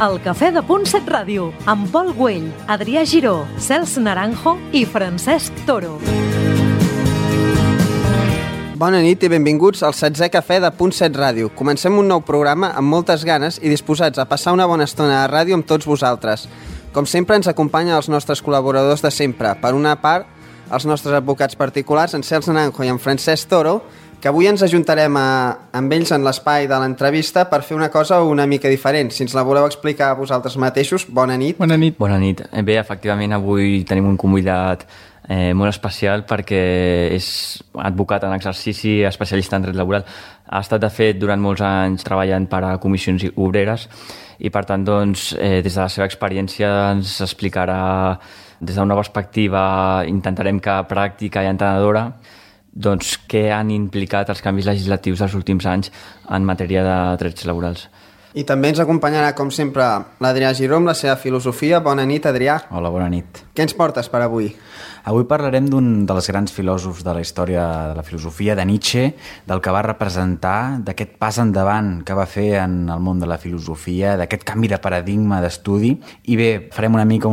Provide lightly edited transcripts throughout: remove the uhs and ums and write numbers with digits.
El Cafè de Punt 7 Ràdio, amb Pol Güell, Adrià Giró, Cels Naranjo i Francesc Toro. Bona nit i benvinguts al 16è Cafè de Punt 7 Ràdio. Comencem un nou programa amb moltes ganes i disposats a passar una bona estona a ràdio amb tots vosaltres. Com sempre ens acompanyen els nostres col·laboradors de sempre. Per una part, els nostres advocats particulars, en Cels Naranjo i en Francesc Toro, que avui ens ajuntarem amb ells en l'espai de l'entrevista per fer una cosa una mica diferent. Si ens la voleu explicar a vosaltres mateixos, bona nit. Bona nit. Bona nit. Bé, efectivament, avui tenim un convidat molt especial perquè és advocat en exercici, especialista en dret laboral. Ha estat, de fet, durant molts anys treballant per a comissions obreres i, per tant, doncs, des de la seva experiència ens explicarà des d'una perspectiva, intentarem que pràctica i entenedora, doncs, què han implicat els canvis legislatius dels últims anys en matèria de drets laborals. I també ens acompanyarà, com sempre, l'Adrià Giró amb la seva filosofia. Bona nit, Adrià. Hola, bona nit. Què ens portes per avui? Avui parlarem d'un dels grans filòsofs de la història de la filosofia, de Nietzsche, del que va representar, d'aquest pas endavant que va fer en el món de la filosofia, d'aquest canvi de paradigma d'estudi. I bé, farem una mica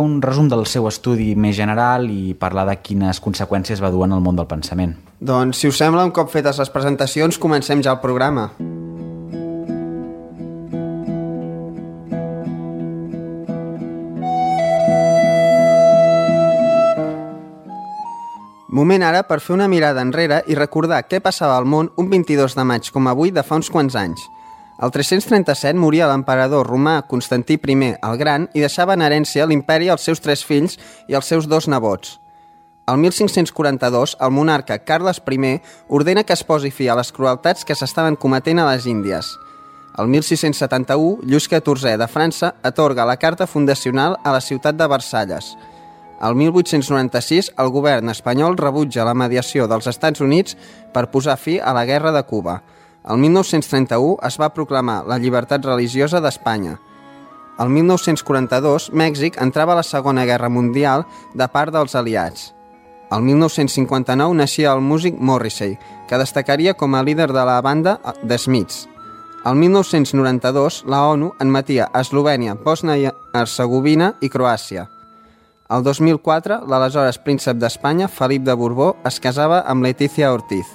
un resum del seu estudi més general i parlar de quines conseqüències va dur en el món del pensament. Doncs, si us sembla, un cop fetes les presentacions, comencem ja el programa. Moment ara per fer una mirada enrere i recordar què passava al món un 22 de maig com avui de fa uns quants anys. El 337 moria l'emperador romà Constantí I el Gran i deixava en herència l'imperi als seus 3 fills i als seus 2 nebots. El 1542, el monarca Carles I ordena que es posi fi a les crueltats que s'estaven cometent a les Índies. El 1671, Lluís XIV de França atorga la carta fundacional a la ciutat de Versalles. El 1896, el govern espanyol rebutja la mediació dels Estats Units per posar fi a la guerra de Cuba. El 1931 es va proclamar la llibertat religiosa d'Espanya. El 1942, Mèxic entrava a la Segona Guerra Mundial de part dels aliats. El 1959 naixia el músic Morrissey, que destacaria com a líder de la banda The Smiths. El 1992, la ONU admetia Eslovènia, Bòsnia i Hercegovina i Croàcia. El 2004, l'aleshores príncep d'Espanya, Felip de Borbó, es casava amb Letícia Ortiz.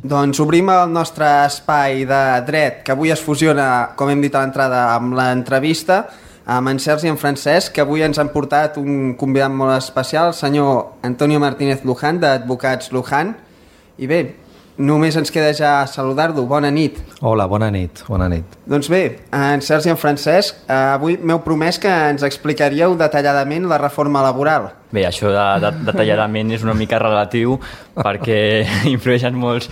Doncs obrim el nostre espai de dret, que avui es fusiona, com hem dit a l'entrada, amb l'entrevista, amb en Cels i en Francesc, que avui ens han portat un convidat molt especial, el senyor Antonio Martínez Luján, d'Advocats Luján. I bé, només ens queda ja saludar-lo. Bona nit. Hola, bona nit. Bona nit. Doncs bé, en Cels i en Francesc, avui m'heu promès que ens explicaríeu detalladament la reforma laboral. Bé, això de detalladament és una mica relatiu perquè influeix en molts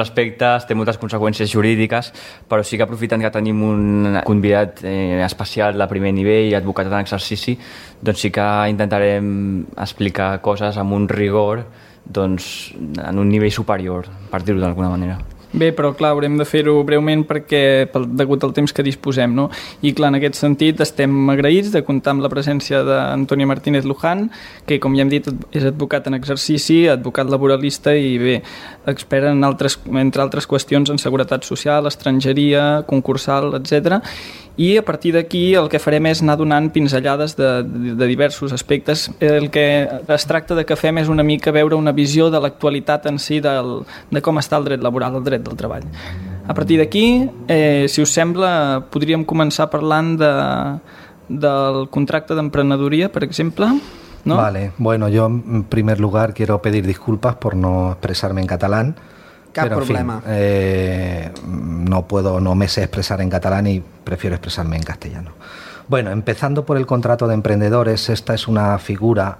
aspectes, té moltes conseqüències jurídiques, però sí que aprofitant que tenim un convidat especial de primer nivell, advocat en exercici, doncs sí que intentarem explicar coses amb un rigor, doncs, en un nivell superior, per dir-ho d'alguna manera. Bé, però clar, haurem de fer-ho breument perquè degut al temps que disposem, no? I clar, en aquest sentit estem agraïts de comptar amb la presència d'Antonio Martínez Luján, que com ja hem dit és advocat en exercici, advocat laboralista i bé, expert entre altres qüestions en seguretat social, estrangeria, concursal, etc. I a partir d'aquí el que farem és anar donant pinzellades de diversos aspectes. El que es tracta de que fem és una mica veure una visió de l'actualitat en si de com està el dret laboral, el dret del treball. A partir d'aquí, si us sembla, podríem començar parlant del contracte d'emprenedoria, per exemple, ¿no? Vale, bueno, yo en primer lugar quiero pedir disculpas por no expresarme en catalán. Cap pero, problema. En fin, no me sé expresar en catalán y prefiero expresarme en castellano. Bueno, empezando por el contrato de emprendedores, esta es una figura,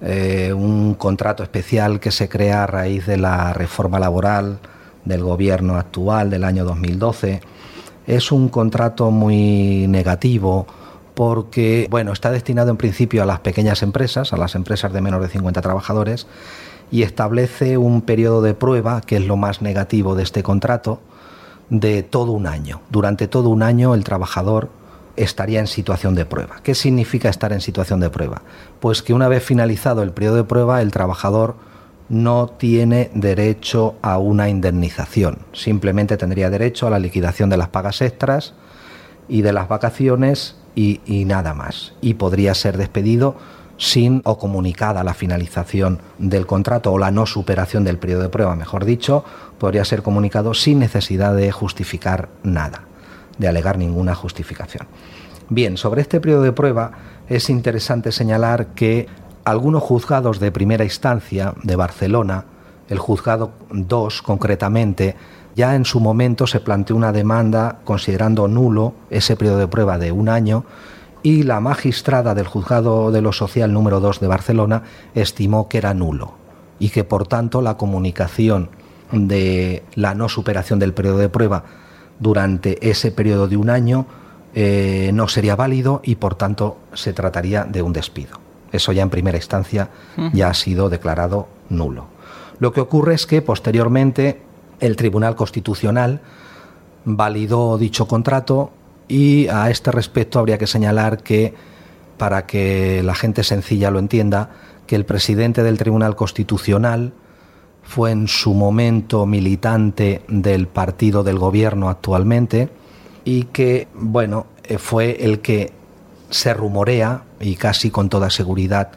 un contrato especial que se crea a raíz de la reforma laboral del gobierno actual del año 2012. Es un contrato muy negativo porque, bueno, está destinado en principio a las pequeñas empresas, a las empresas de menos de 50 trabajadores, y establece un periodo de prueba, que es lo más negativo de este contrato, de todo un año. Durante todo un año el trabajador estaría en situación de prueba. ¿Qué significa estar en situación de prueba? Pues que una vez finalizado el periodo de prueba, el trabajador no tiene derecho a una indemnización, simplemente tendría derecho a la liquidación de las pagas extras y de las vacaciones y nada más. Y podría ser despedido sin o comunicada la finalización del contrato o la no superación del periodo de prueba, mejor dicho, podría ser comunicado sin necesidad de justificar nada, de alegar ninguna justificación. Bien, sobre este periodo de prueba es interesante señalar que algunos juzgados de primera instancia de Barcelona, el juzgado 2 concretamente, ya en su momento se planteó una demanda considerando nulo ese periodo de prueba de 1 año, y la magistrada del juzgado de lo social número 2 de Barcelona estimó que era nulo y que por tanto la comunicación de la no superación del periodo de prueba durante ese periodo de 1 año no sería válido y por tanto se trataría de un despido. Eso ya en primera instancia ya ha sido declarado nulo. Lo que ocurre es que posteriormente el Tribunal Constitucional validó dicho contrato y a este respecto habría que señalar que, para que la gente sencilla lo entienda, que el presidente del Tribunal Constitucional fue en su momento militante del partido del gobierno actualmente y que, bueno, fue el que se rumorea, y casi con toda seguridad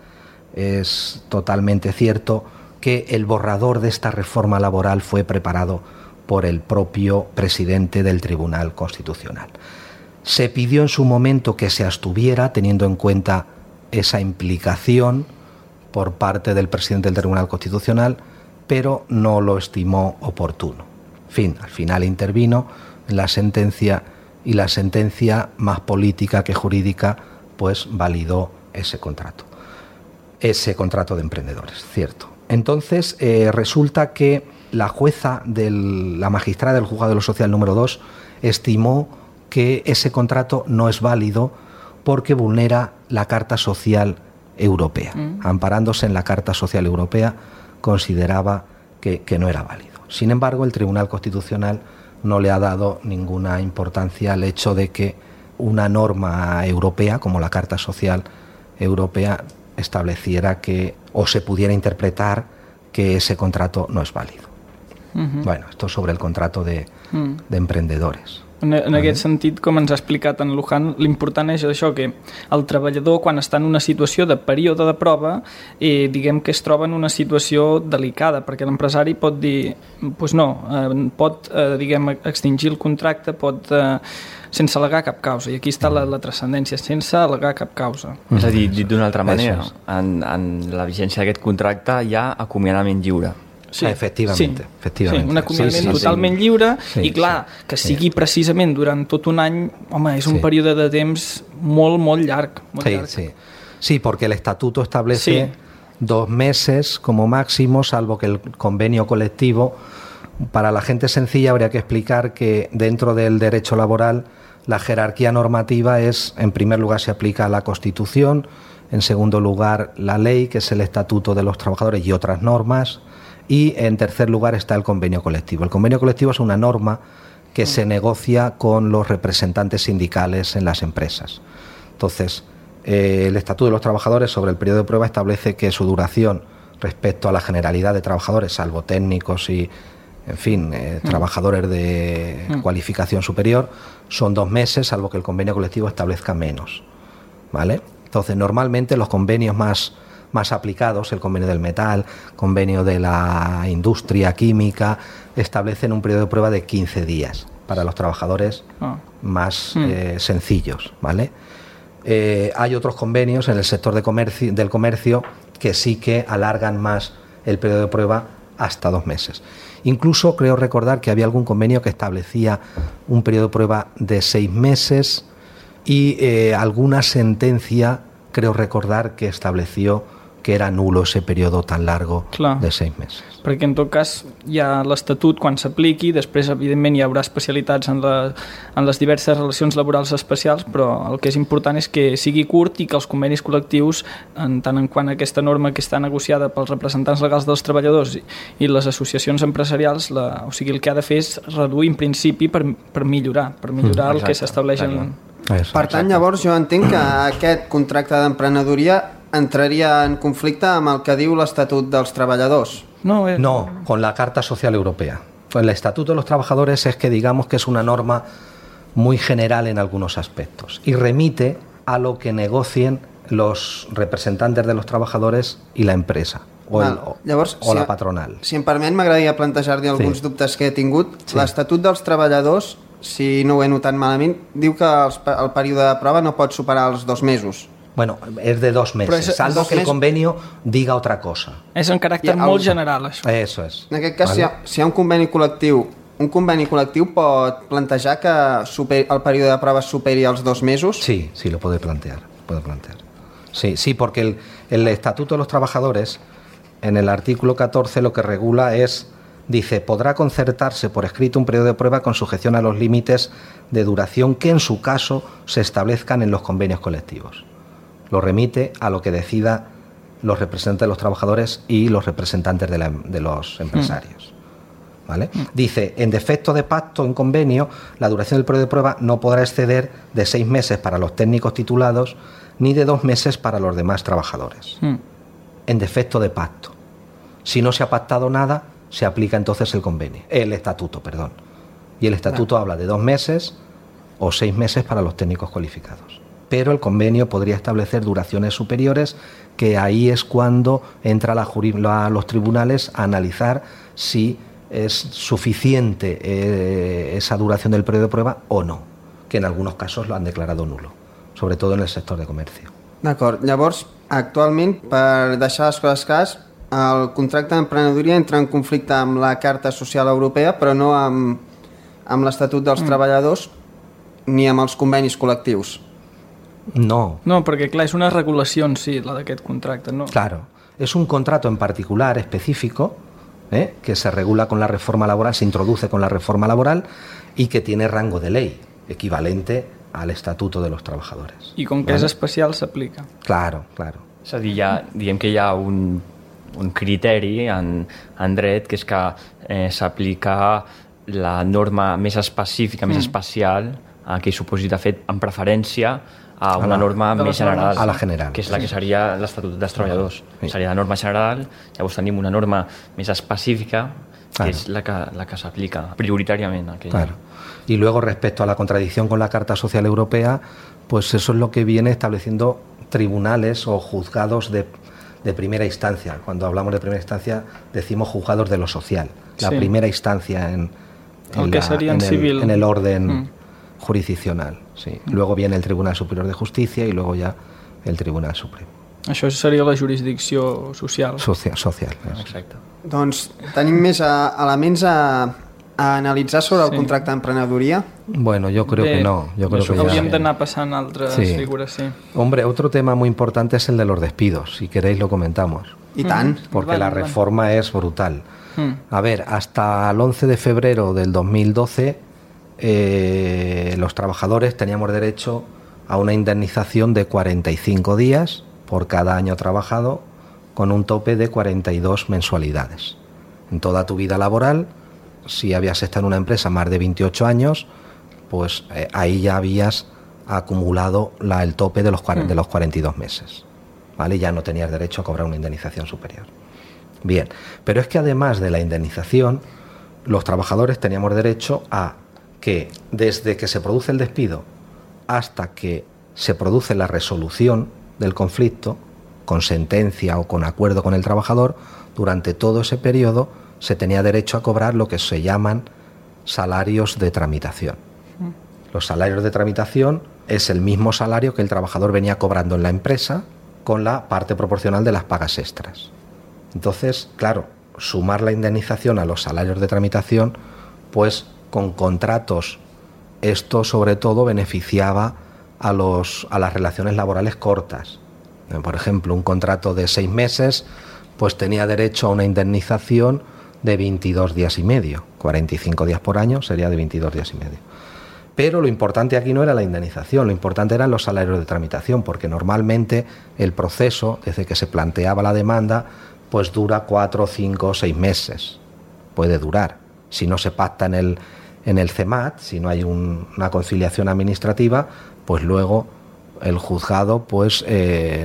es totalmente cierto, que el borrador de esta reforma laboral fue preparado por el propio presidente del Tribunal Constitucional. Se pidió en su momento que se abstuviera, teniendo en cuenta esa implicación por parte del presidente del Tribunal Constitucional, pero no lo estimó oportuno. En fin, al final intervino en la sentencia y la sentencia, más política que jurídica, pues validó ese contrato de emprendedores, cierto. Entonces resulta que la jueza, la magistrada del juzgado de lo social número 2, estimó que ese contrato no es válido porque vulnera la Carta Social Europea. Amparándose en la Carta Social Europea, consideraba que no era válido. Sin embargo, el Tribunal Constitucional no le ha dado ninguna importancia al hecho de que una norma europea, como la Carta Social Europea, estableciera que, o se pudiera interpretar, que ese contrato no es válido. Bueno, esto sobre el contrato de emprendedores. En aquest sentit, com ens ha explicat en Luján, l'important és això, que el treballador, quan està en una situació de període de prova, diguem que es troba en una situació delicada, perquè l'empresari pot dir, doncs no, pot, diguem, extingir el contracte, pot, sense al·legar cap causa, i aquí està la transcendència, sense al·legar cap causa. És a dir, dit d'una altra manera, en la vigència d'aquest contracte hi ha acomiadament lliure. Sí, efectivament. Sí, un acomiadament totalment lliure i clar, que sigui precisament durant tot un any, home, és un període de temps molt, molt llarg. Sí, porque el estatuto establece 2 meses como máximo, salvo que el convenio colectivo. Para la gente sencilla habría que explicar que dentro del derecho laboral la jerarquía normativa es, en primer lugar, se aplica a la Constitución, en segundo lugar la ley, que es el Estatuto de los Trabajadores y otras normas, y en tercer lugar está el convenio colectivo. El convenio colectivo es una norma que se negocia con los representantes sindicales en las empresas. Entonces, el Estatuto de los Trabajadores sobre el periodo de prueba establece que su duración respecto a la generalidad de trabajadores, salvo técnicos y, en fin, trabajadores de cualificación superior, son 2 meses, salvo que el convenio colectivo establezca menos, ¿vale? Entonces, normalmente los convenios más aplicados, el convenio del metal, convenio de la industria química, establecen un periodo de prueba de 15 días para los trabajadores más sencillos, ¿vale? Hay otros convenios en el sector del comercio que sí que alargan más el periodo de prueba hasta 2 meses. Incluso creo recordar que había algún convenio que establecía un periodo de prueba de 6 meses y alguna sentencia, creo recordar, que estableció que era nulo ese periodo tan largo de 6 meses. Perquè en tot cas hi ha l'Estatut quan s'apliqui, després evidentment hi haurà especialitats en les diverses relacions laborals especials, però el que és important és que sigui curt i que els convenis col·lectius, en tant en quant a aquesta norma que està negociada pels representants legals dels treballadors i les associacions empresarials, o sigui, el que ha de fer és reduir en principi per millorar el que s'estableix Per tant, llavors jo entenc que aquest contracte d'emprenedoria entraria en conflicte amb el que diu l'Estatut dels Treballadors. No, con la Carta Social Europea. El Estatuto de los Trabajadores es que digamos que es una norma muy general en algunos aspectos y remite a lo que negocien los representantes de los trabajadores y la empresa o la patronal. Si em permet, m'agradaria plantejar-li alguns dubtes que he tingut. Sí. L'Estatut dels Treballadors, si no ho he notat malament, diu que el període de prova no pot superar els 2 mesos. Bueno, es de 2 meses, salvo que el convenio diga otra cosa. És en caràcter molt general, això. Eso es. En aquest cas, ¿vale? si hi ha un conveni col·lectiu pot plantejar que el període de prova superi els 2 mesos? Sí, lo puede plantear. Sí, porque el Estatuto de los Trabajadores, en el artículo 14, lo que regula dice, podrá concertarse por escrito un periodo de prueba con sujeción a los límites de duración que en su caso se establezcan en los convenios colectivos. Lo remite a lo que decida los representantes de los trabajadores y los representantes de los empresarios. ¿Vale? Dice, en defecto de pacto en convenio, la duración del periodo de prueba no podrá exceder de 6 meses para los técnicos titulados ni de 2 meses para los demás trabajadores. En defecto de pacto. Si no se ha pactado nada, se aplica entonces el estatuto. Y el estatuto habla de 2 meses o 6 meses para los técnicos cualificados. Pero el convenio podría establecer duraciones superiores, que ahí es cuando entra los tribunales a analizar si es suficiente esa duración del periodo de prueba o no, que en algunos casos lo han declarado nulo, sobre todo en el sector de comercio. D'acord, llavors, actualment, per deixar les coses clares, el contracte d'emprenedoria entra en conflicte amb la Carta Social Europea, però no amb l'Estatut dels Treballadors ni amb els convenis col·lectius. No, perquè clar, és una regulació en si, la d'aquest contracte, no? Claro, es un contrato en particular específico que se regula con la reforma laboral, se introduce con la reforma laboral y que tiene rango de ley, equivalente al Estatuto de los Trabajadores. I com que és especial, s'aplica. Claro. És a dir, diguem que hi ha un criteri en dret, que és que s'aplica la norma més específica, més especial, a aquell supòsit de fet, en preferència a una norma més general, a la general, que és la que seria l'Estatut dels Treballadors. Seria la norma general, llavors tenim una norma més específica, que és la que s'aplica prioritàriament. Claro. Y luego, respecto a la contradicción con la Carta Social Europea, pues eso es lo que viene estableciendo tribunales o juzgados de primera instancia. Cuando hablamos de primera instancia, decimos juzgados de lo social. La primera instancia en el orden jurisdiccional. Sí. Luego viene el Tribunal Superior de Justicia y luego ya el Tribunal Supremo. Això seria la jurisdicció social. Social. Exacte. Doncs tenim més elements a analitzar sobre el contracte d'emprenedoria. Bueno, yo creo que no. Yo creo que hauríem d'anar passant altres figures, sí. Hombre, otro tema muy importante es el de los despidos. Si queréis lo comentamos. I tant. Porque la reforma es brutal. A ver, hasta el 11 de febrero del 2012 los trabajadores teníamos derecho a una indemnización de 45 días por cada año trabajado, con un tope de 42 mensualidades. En toda tu vida laboral, si habías estado en una empresa más de 28 años, pues ahí ya habías acumulado el tope de los 42 meses. ¿Vale? Ya no tenías derecho a cobrar una indemnización superior. Bien, pero es que además de la indemnización, los trabajadores teníamos derecho a que desde que se produce el despido hasta que se produce la resolución del conflicto, con sentencia o con acuerdo con el trabajador, durante todo ese periodo se tenía derecho a cobrar lo que se llaman salarios de tramitación. Los salarios de tramitación es el mismo salario que el trabajador venía cobrando en la empresa, con la parte proporcional de las pagas extras. Entonces, claro, sumar la indemnización a los salarios de tramitación, pues con contratos, esto sobre todo beneficiaba a las relaciones laborales cortas. Por ejemplo, un contrato de 6 meses, pues tenía derecho a una indemnización de 22 días y medio. 45 días por año sería de 22 días y medio. Pero lo importante aquí no era la indemnización, lo importante eran los salarios de tramitación, porque normalmente el proceso, desde que se planteaba la demanda, pues dura 4, 5, 6 meses. Puede durar. Si no se pacta en en el CEMAT, si no hay una conciliación administrativa, pues luego el juzgado pues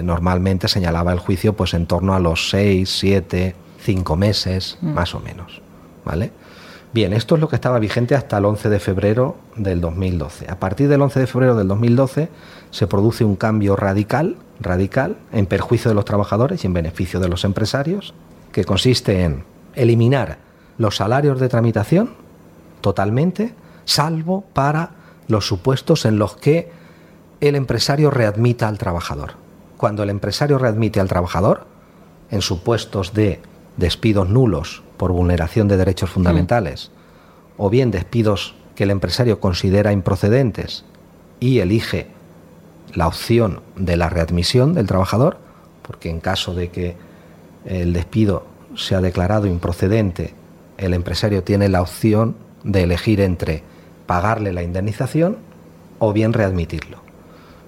normalmente señalaba el juicio pues en torno a los 6, 7, 5 meses, más o menos, ¿vale? Bien, esto es lo que estaba vigente hasta el 11 de febrero del 2012. A partir del 11 de febrero del 2012 se produce un cambio radical en perjuicio de los trabajadores y en beneficio de los empresarios, que consiste en eliminar los salarios de tramitación totalmente, salvo para los supuestos en los que el empresario readmita al trabajador. Cuando el empresario readmite al trabajador, en supuestos de despidos nulos por vulneración de derechos fundamentales, o bien despidos que el empresario considera improcedentes y elige la opción de la readmisión del trabajador, porque en caso de que el despido sea declarado improcedente, el empresario tiene la opción de elegir entre pagarle la indemnización o bien readmitirlo.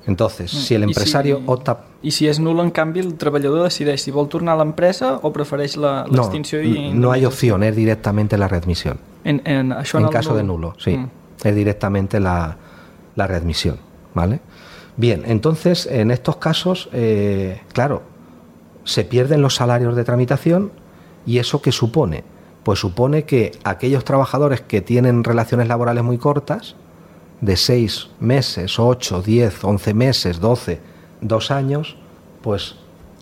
Entonces, si el empresario opta... I si és nul, en canvi, el treballador decideix si vol tornar a l'empresa o prefereix l'extinció i... No hay opción, es directamente la readmisión. En caso de nulo, sí. Es directamente la readmisión, ¿vale? Bien, entonces, en estos casos, claro, se pierden los salarios de tramitación. ¿Y eso qué supone? Pues supone que aquellos trabajadores que tienen relaciones laborales muy cortas, de 6 meses, 8, 10, 11 meses, 12, 2 años, pues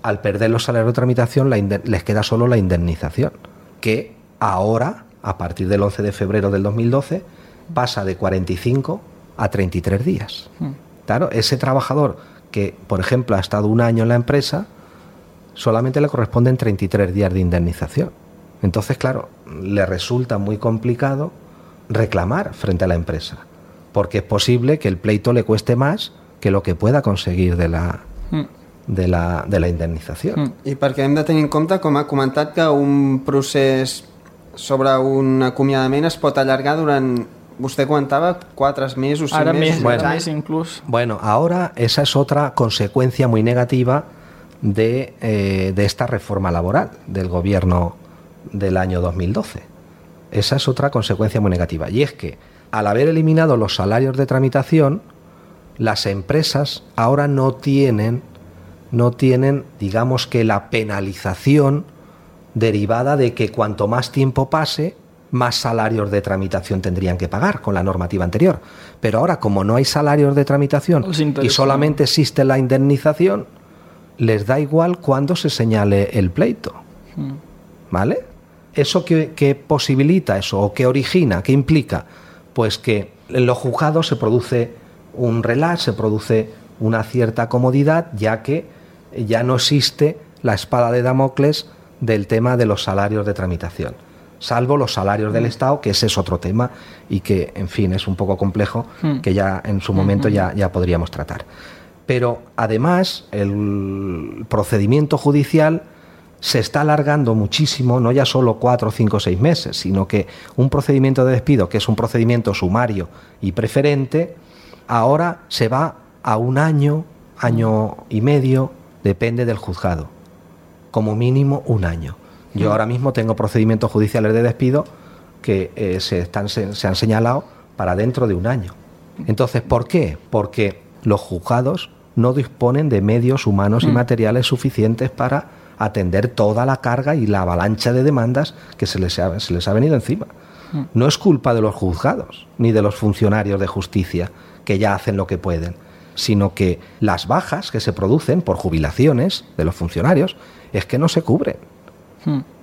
al perder los salarios de tramitación les queda solo la indemnización, que ahora, a partir del 11 de febrero del 2012, pasa de 45 a 33 días. Claro, ese trabajador que, por ejemplo, ha estado 1 año en la empresa, solamente le corresponden 33 días de indemnización. Entonces, claro, le resulta muy complicado reclamar frente a la empresa, porque es posible que el pleito le cueste más que lo que pueda conseguir de la indemnització. I perquè hem de tenir en compte, com ha comentat, que un procés sobre un acomiadament es pot allargar durant, vostè comentava, 4 mesos, 5 mesos, més inclús. Bueno, ahora esa es otra consecuencia muy negativa de esta reforma laboral del gobierno del año 2012. Esa es otra consecuencia muy negativa, y es que al haber eliminado los salarios de tramitación, las empresas ahora no tienen, digamos que la penalización derivada de que cuanto más tiempo pase, más salarios de tramitación tendrían que pagar con la normativa anterior. Pero ahora, como no hay salarios de tramitación y solamente existe la indemnización, les da igual cuándo se señale el pleito. ¿Vale? ¿Eso qué posibilita eso? ¿O qué origina? ¿Qué implica? Pues que en los juzgados se produce un relax, se produce una cierta comodidad, ya que ya no existe la espada de Damocles del tema de los salarios de tramitación, salvo los salarios del Estado, que ese es otro tema y que, en fin, es un poco complejo, que ya en su momento ya podríamos tratar. Pero además el procedimiento judicial se está alargando muchísimo, no ya solo 4, 5, 6 meses, sino que un procedimiento de despido, que es un procedimiento sumario y preferente, ahora se va a 1 año, año y medio, depende del juzgado, como mínimo 1 año. Yo ahora mismo tengo procedimientos judiciales de despido que se han señalado para dentro de 1 año. Entonces, ¿por qué? Porque los juzgados no disponen de medios humanos y materiales suficientes para atender toda la carga y la avalancha de demandas que se les ha venido encima. No es culpa de los juzgados ni de los funcionarios de justicia, que ya hacen lo que pueden, sino que las bajas que se producen por jubilaciones de los funcionarios es que no se cubren.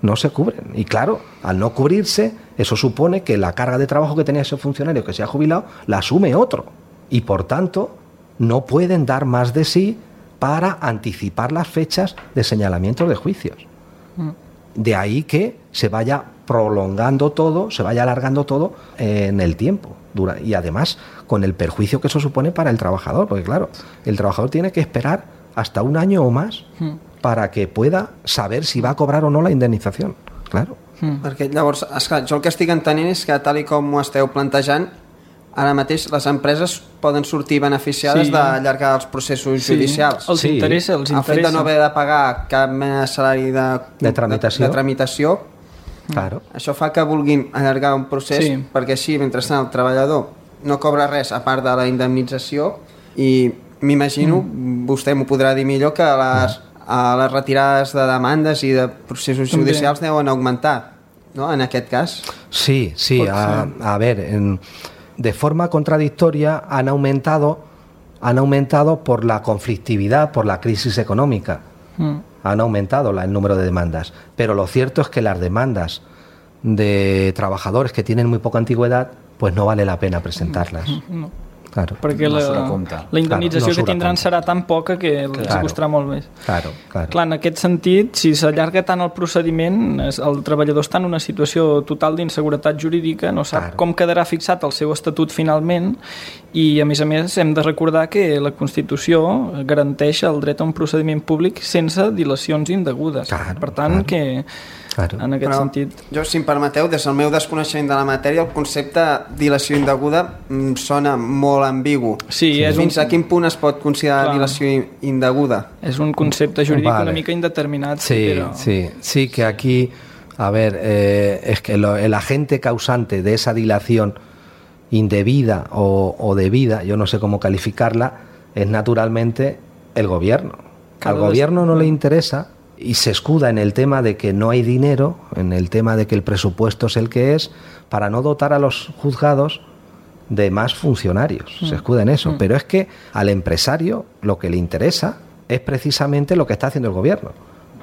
No se cubren. Y claro, al no cubrirse, eso supone que la carga de trabajo que tenía ese funcionario que se ha jubilado la asume otro. Y por tanto, no pueden dar más de sí para anticipar las fechas de señalamiento de juicios. De ahí que se vaya prolongando todo, se vaya alargando todo en el tiempo. Y además con el perjuicio que eso supone para el trabajador, porque claro, el trabajador tiene que esperar hasta 1 año o más para que pueda saber si va a cobrar o no la indemnització. Claro. Perquè llavors, esclar, jo el que estic entenent és que tal i com ho esteu plantejant, ara mateix les empreses poden sortir beneficiades d'allargar els processos judicials. Els interessa. El fet de no haver de pagar cap salari de tramitació Claro. Això fa que vulguin allargar un procés perquè així, mentrestant, el treballador no cobra res a part de la indemnització i m'imagino, vostè m'ho podrà dir millor, que les retirades de demandes i de processos judicials deuen augmentar, ¿no? En aquest cas. Sí, a ver, de forma contradictoria han aumentado por la conflictividad, por la crisis económica. Han aumentado el número de demandas, pero lo cierto es que las demandas de trabajadores que tienen muy poca antigüedad, pues no vale la pena presentarlas. No. Claro. Perquè la indemnització que tindran serà tan poca que els costarà molt més. Claro. Clar, en aquest sentit, si s'allarga tant el procediment, el treballador està en una situació total d'inseguretat jurídica, no sap com quedarà fixat el seu estatut finalment i, a més, hem de recordar que la Constitució garanteix el dret a un procediment públic sense dilacions indegudes. Per tant, que en aquest sentit... Jo, si em permeteu, des del meu desconeixement de la matèria, el concepte dilació indeguda sona molt ambigu. Fins a quin punt es pot considerar dilació indeguda? És un concepte jurídic una mica indeterminat. Sí, que aquí, a ver, es que el agente causante de esa dilación indebida o debida, yo no sé cómo calificarla, es naturalmente el gobierno. Al gobierno no le interesa y se escuda en el tema de que no hay dinero, en el tema de que el presupuesto es el que es, para no dotar a los juzgados de más funcionarios. Se escuda en eso. Pero es que al empresario lo que le interesa es precisamente lo que está haciendo el gobierno,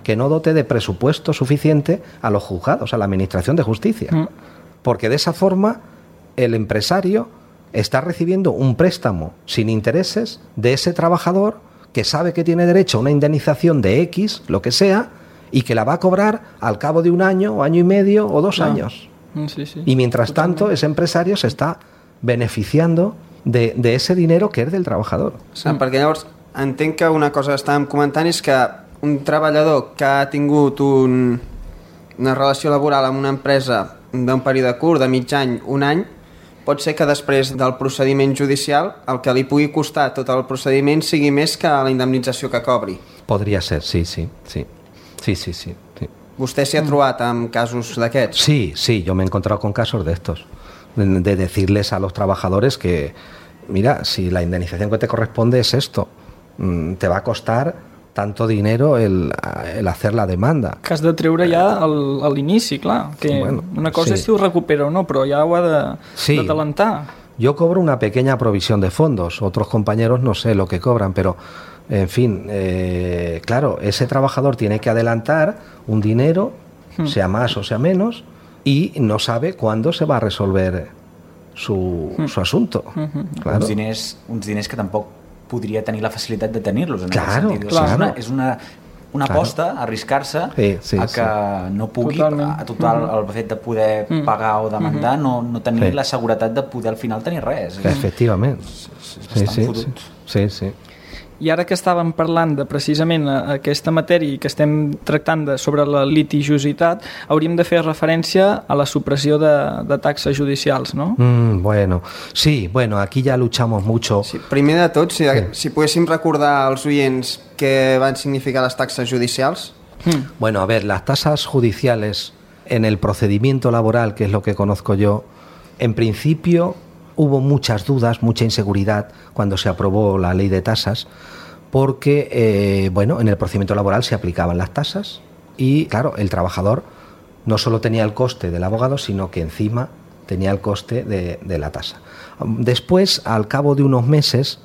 que no dote de presupuesto suficiente a los juzgados, a la administración de justicia. Porque de esa forma el empresario está recibiendo un préstamo sin intereses de ese trabajador que sabe que tiene derecho a una indemnización de X, lo que sea, y que la va a cobrar al cabo de un año, o año y medio, o 2 años. Y mientras tanto, ese empresario se está beneficiando de ese dinero que és del trabajador. Perquè llavors entenc que una cosa que estàvem comentant és que un treballador que ha tingut una relació laboral amb una empresa d'un període curt, de mig any, un any, pot ser que després del procediment judicial el que li pugui costar tot el procediment sigui més que la indemnització que cobri. Podria ser, sí. ¿Usted se ha trobat amb casos d'aquests? Sí, yo me he encontrado con casos de estos, de decirles a los trabajadores que, mira, si la indemnización que te corresponde es esto, te va a costar tanto dinero el hacer la demanda. Que has de treure ja a l'inici, clar. Que una cosa és si ho recupera o no, però ja ho ha d'adelantar. Yo cobro una pequeña provisión de fondos, otros compañeros no sé lo que cobran, pero en fin, claro, ese trabajador tiene que adelantar un dinero, sea más o sea menos, y no sabe cuándo se va a resolver su asunto. Claro. Uns diners que tampoc podria tenir la facilitat de tenir-los. És una aposta, arriscar-se a que no pugui, a tot el fet de poder pagar o demandar, no tenir la seguretat de poder al final tenir res. Efectivament. Sí. I ara que estàvem parlant de precisament aquesta matèria i que estem tractant sobre la litigiositat, hauríem de fer referència a la supressió de taxes judicials, no? Sí, aquí ja luchamos mucho. Sí, primer de tot, si poguéssim recordar als oients què van significar les taxes judicials. Bueno, a ver, las tasas judiciales en el procedimiento laboral, que es lo que conozco yo, en principio hubo muchas dudas, mucha inseguridad cuando se aprobó la ley de tasas, porque en el procedimiento laboral se aplicaban las tasas y, claro, el trabajador no solo tenía el coste del abogado, sino que encima tenía el coste de la tasa. Después, al cabo de unos meses,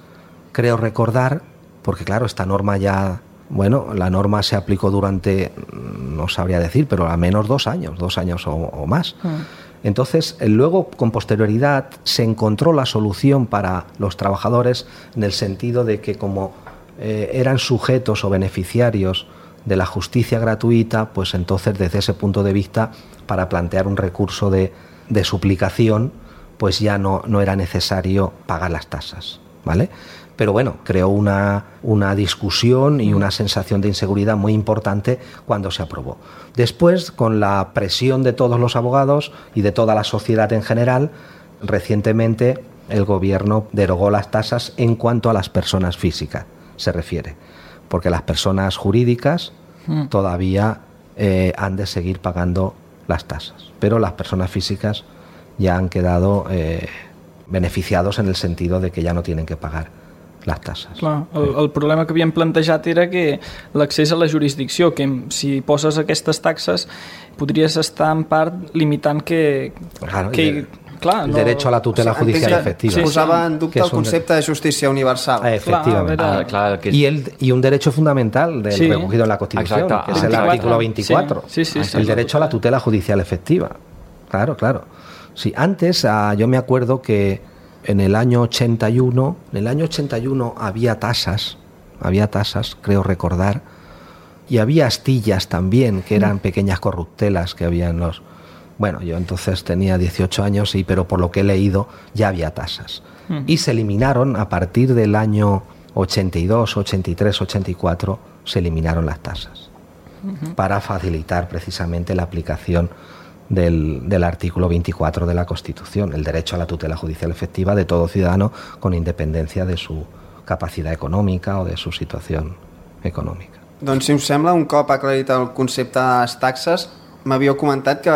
creo recordar, porque claro, esta norma ya, la norma se aplicó durante, no sabría decir, pero al menos 2 años o más. Entonces, luego, con posterioridad, se encontró la solución para los trabajadores en el sentido de que como eran sujetos o beneficiarios de la justicia gratuita, pues entonces desde ese punto de vista, para plantear un recurso de suplicación, pues ya no era necesario pagar las tasas, ¿vale? Pero creó una discusión y una sensación de inseguridad muy importante cuando se aprobó. Después, con la presión de todos los abogados y de toda la sociedad en general, recientemente el gobierno derogó las tasas en cuanto a las personas físicas se refiere, porque las personas jurídicas todavía han de seguir pagando las tasas. Pero las personas físicas ya han quedado beneficiados en el sentido de que ya no tienen que pagar les tasses. Clar, el problema que havíem plantejat era que l'accés a la jurisdicció, que si poses aquestes taxes podries estar en part limitant que Claro, clar, el derecho a la tutela judicial efectiva. Sí, posava en dubte el concepte de justícia universal. Efectivamente. Clar, y un derecho fundamental del recogido en la Constitución, Exacto. que es el artículo 24. Sí, el derecho a la tutela judicial efectiva. Claro. Sí, antes yo me acuerdo que en el año 81 había tasas, creo recordar, y había astillas también, que eran pequeñas corruptelas que había en los... Bueno, yo entonces tenía 18 años, sí, pero por lo que he leído ya había tasas. Y se eliminaron a partir del año 82, 83, 84, se eliminaron las tasas para facilitar precisamente la aplicación del artículo 24 de la Constitución, el derecho a la tutela judicial efectiva de todo ciudadano con independencia de su capacitat econòmica o de su situació econòmica. Doncs, si us sembla, un cop aclarit el concepte de les taxes, m'havíeu comentat que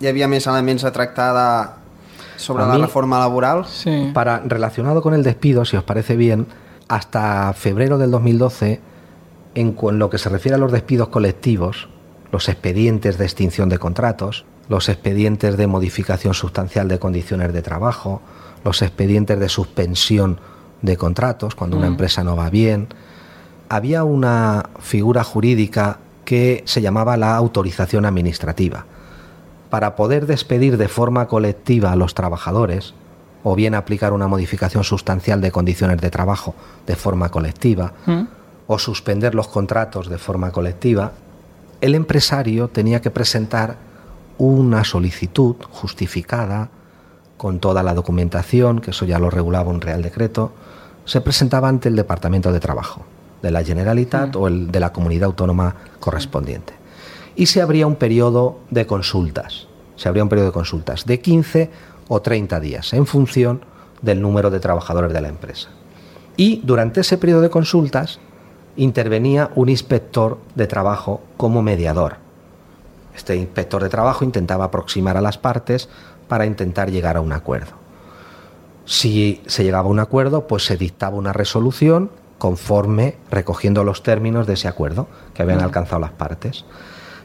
hi havia més elements a tractar sobre la reforma laboral. Sí. Relacionado con el despido, si os parece bien, hasta febrero del 2012, en lo que se refiere a los despidos colectivos, los expedientes de extinción de contratos, los expedientes de modificación sustancial de condiciones de trabajo, los expedientes de suspensión de contratos cuando una empresa no va bien, había una figura jurídica que se llamaba la autorización administrativa. Para poder despedir de forma colectiva a los trabajadores, o bien aplicar una modificación sustancial de condiciones de trabajo de forma colectiva, o suspender los contratos de forma colectiva, el empresario tenía que presentar una solicitud justificada con toda la documentación, que eso ya lo regulaba un Real Decreto, se presentaba ante el Departamento de Trabajo de la Generalitat o el de la comunidad autónoma correspondiente. Y se abría un periodo de consultas, de 15 o 30 días, en función del número de trabajadores de la empresa. Y durante ese periodo de consultas intervenía un inspector de trabajo como mediador. Este inspector de trabajo intentaba aproximar a las partes para intentar llegar a un acuerdo. Si se llegaba a un acuerdo, pues se dictaba una resolución conforme recogiendo los términos de ese acuerdo que habían alcanzado las partes.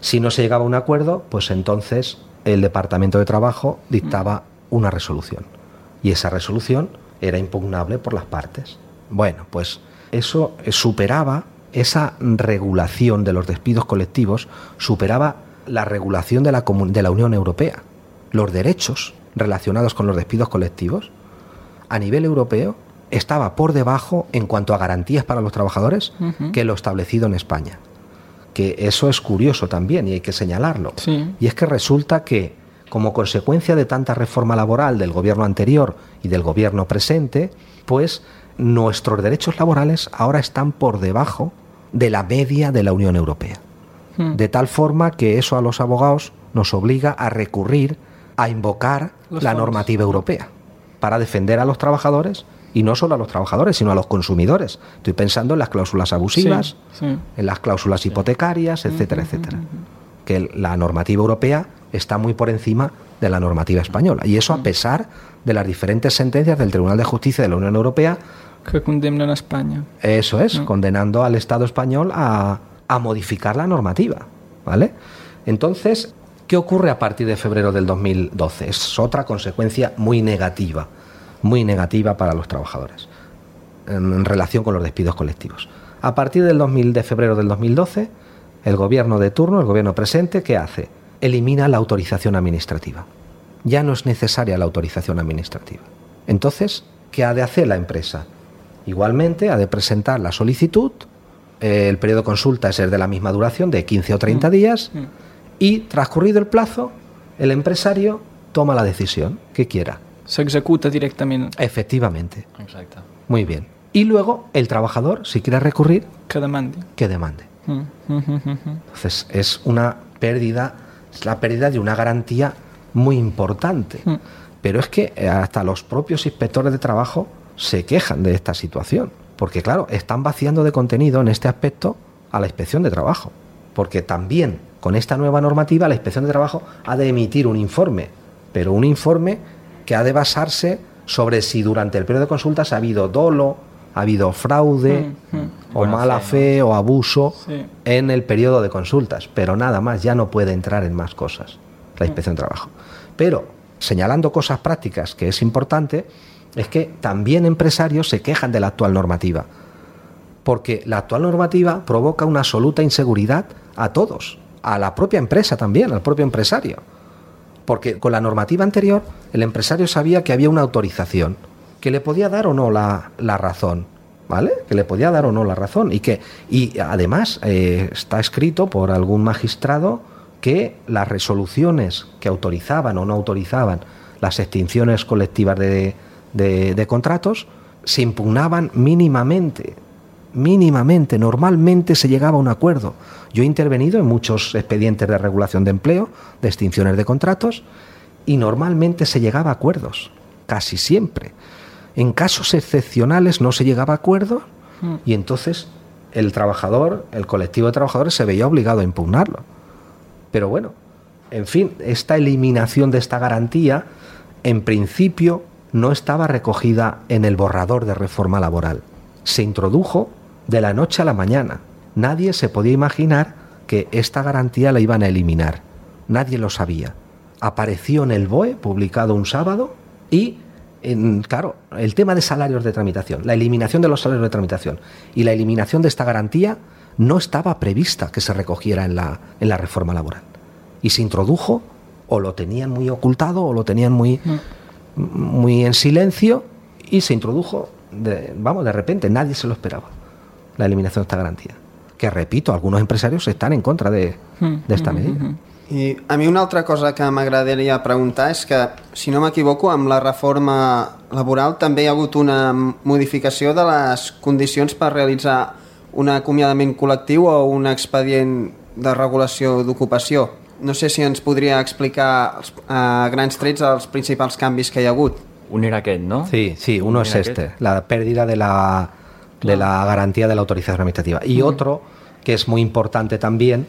Si no se llegaba a un acuerdo, pues entonces el Departamento de Trabajo dictaba una resolución y esa resolución era impugnable por las partes. Bueno, pues eso superaba, esa regulación de los despidos colectivos superaba la regulación de la Unión Europea. Los derechos relacionados con los despidos colectivos a nivel europeo estaba por debajo en cuanto a garantías para los trabajadores que lo establecido en España. Que eso es curioso también y hay que señalarlo. Sí. Y es que resulta que, como consecuencia de tanta reforma laboral del gobierno anterior y del gobierno presente, pues nuestros derechos laborales ahora están por debajo de la media de la Unión Europea. De tal forma que eso a los abogados nos obliga a recurrir, a invocar la normativa europea para defender a los trabajadores, y no solo a los trabajadores, sino a los consumidores. Estoy pensando en las cláusulas abusivas, en las cláusulas hipotecarias, etcétera, etcétera. Que la normativa europea está muy por encima de la normativa española. Y eso a pesar de las diferentes sentencias del Tribunal de Justicia de la Unión Europea que condemnen a España. Eso es, condenando al Estado español a modificar la normativa, ¿vale? Entonces, ¿qué ocurre a partir de febrero del 2012? Es otra consecuencia muy negativa para los trabajadores en relación con los despidos colectivos. A partir de febrero del 2012, el gobierno de turno, el gobierno presente, ¿qué hace? Elimina la autorización administrativa. Ya no es necesaria la autorización administrativa. Entonces, ¿qué ha de hacer la empresa? Igualmente, ha de presentar la solicitud, el periodo de consulta es de la misma duración, de 15 o 30 días, y transcurrido el plazo, el empresario toma la decisión que quiera. S'executa directament. Efectivamente. Exacte. Muy bien. Y luego el trabajador, si quiere recurrir, Que demandi. que demande. Entonces es una pérdida, es la pérdida de una garantía muy importante. Pero es que hasta los propios inspectores de trabajo se quejan de esta situación. Porque claro, están vaciando de contenido en este aspecto a la inspección de trabajo. porque también con esta nueva normativa la Inspección de Trabajo ha de emitir un informe, pero un informe que ha de basarse sobre si durante el periodo de consultas ha habido dolo, ha habido fraude o Buena mala fe, fe o abuso Sí. en el periodo de consultas, pero nada más, ya no puede entrar en más cosas la Inspección de Trabajo. Pero señalando cosas prácticas que es importante, es que también empresarios se quejan de la actual normativa, porque la actual normativa provoca una absoluta inseguridad a todos, a la propia empresa también, al propio empresario. Porque con la normativa anterior el empresario sabía que había una autorización, que le podía dar o no la razón, ¿vale? Que le podía dar o no la razón y además está escrito por algún magistrado que las resoluciones que autorizaban o no autorizaban las extinciones colectivas de contratos se impugnaban mínimamente, normalmente se llegaba a un acuerdo. Yo he intervenido en muchos expedientes de regulación de empleo, de extinciones de contratos, y normalmente se llegaba a acuerdos, casi siempre. En casos excepcionales no se llegaba a acuerdos y entonces el trabajador, el colectivo de trabajadores se veía obligado a impugnarlo. Pero bueno, en fin, esta eliminación de esta garantía, en principio, no estaba recogida en el borrador de reforma laboral. Se introdujo de la noche a la mañana. Nadie se podía imaginar que esta garantía la iban a eliminar. Nadie lo sabía. Apareció en el BOE, publicado un sábado, y, claro, el tema de salarios de tramitación, la eliminación de los salarios de tramitación y la eliminación de esta garantía no estaba prevista que se recogiera en la reforma laboral. Y se introdujo, o lo tenían muy ocultado, o lo tenían muy en silencio, y se introdujo, de repente, nadie se lo esperaba, la eliminación de esta garantía. Que, repito, algunos empresarios están en contra de esta medida. I a mi una altra cosa que m'agradaria preguntar és que, si no m'equivoco, amb la reforma laboral també hi ha hagut una modificació de les condicions per realitzar un acomiadament col·lectiu o un expedient de regulació d'ocupació. No sé si ens podria explicar a grans trets els principals canvis que hi ha hagut. Un era aquest, ¿no? Sí, uno es la pérdida de la garantía de la autorización administrativa. Y otro, que es muy importante también,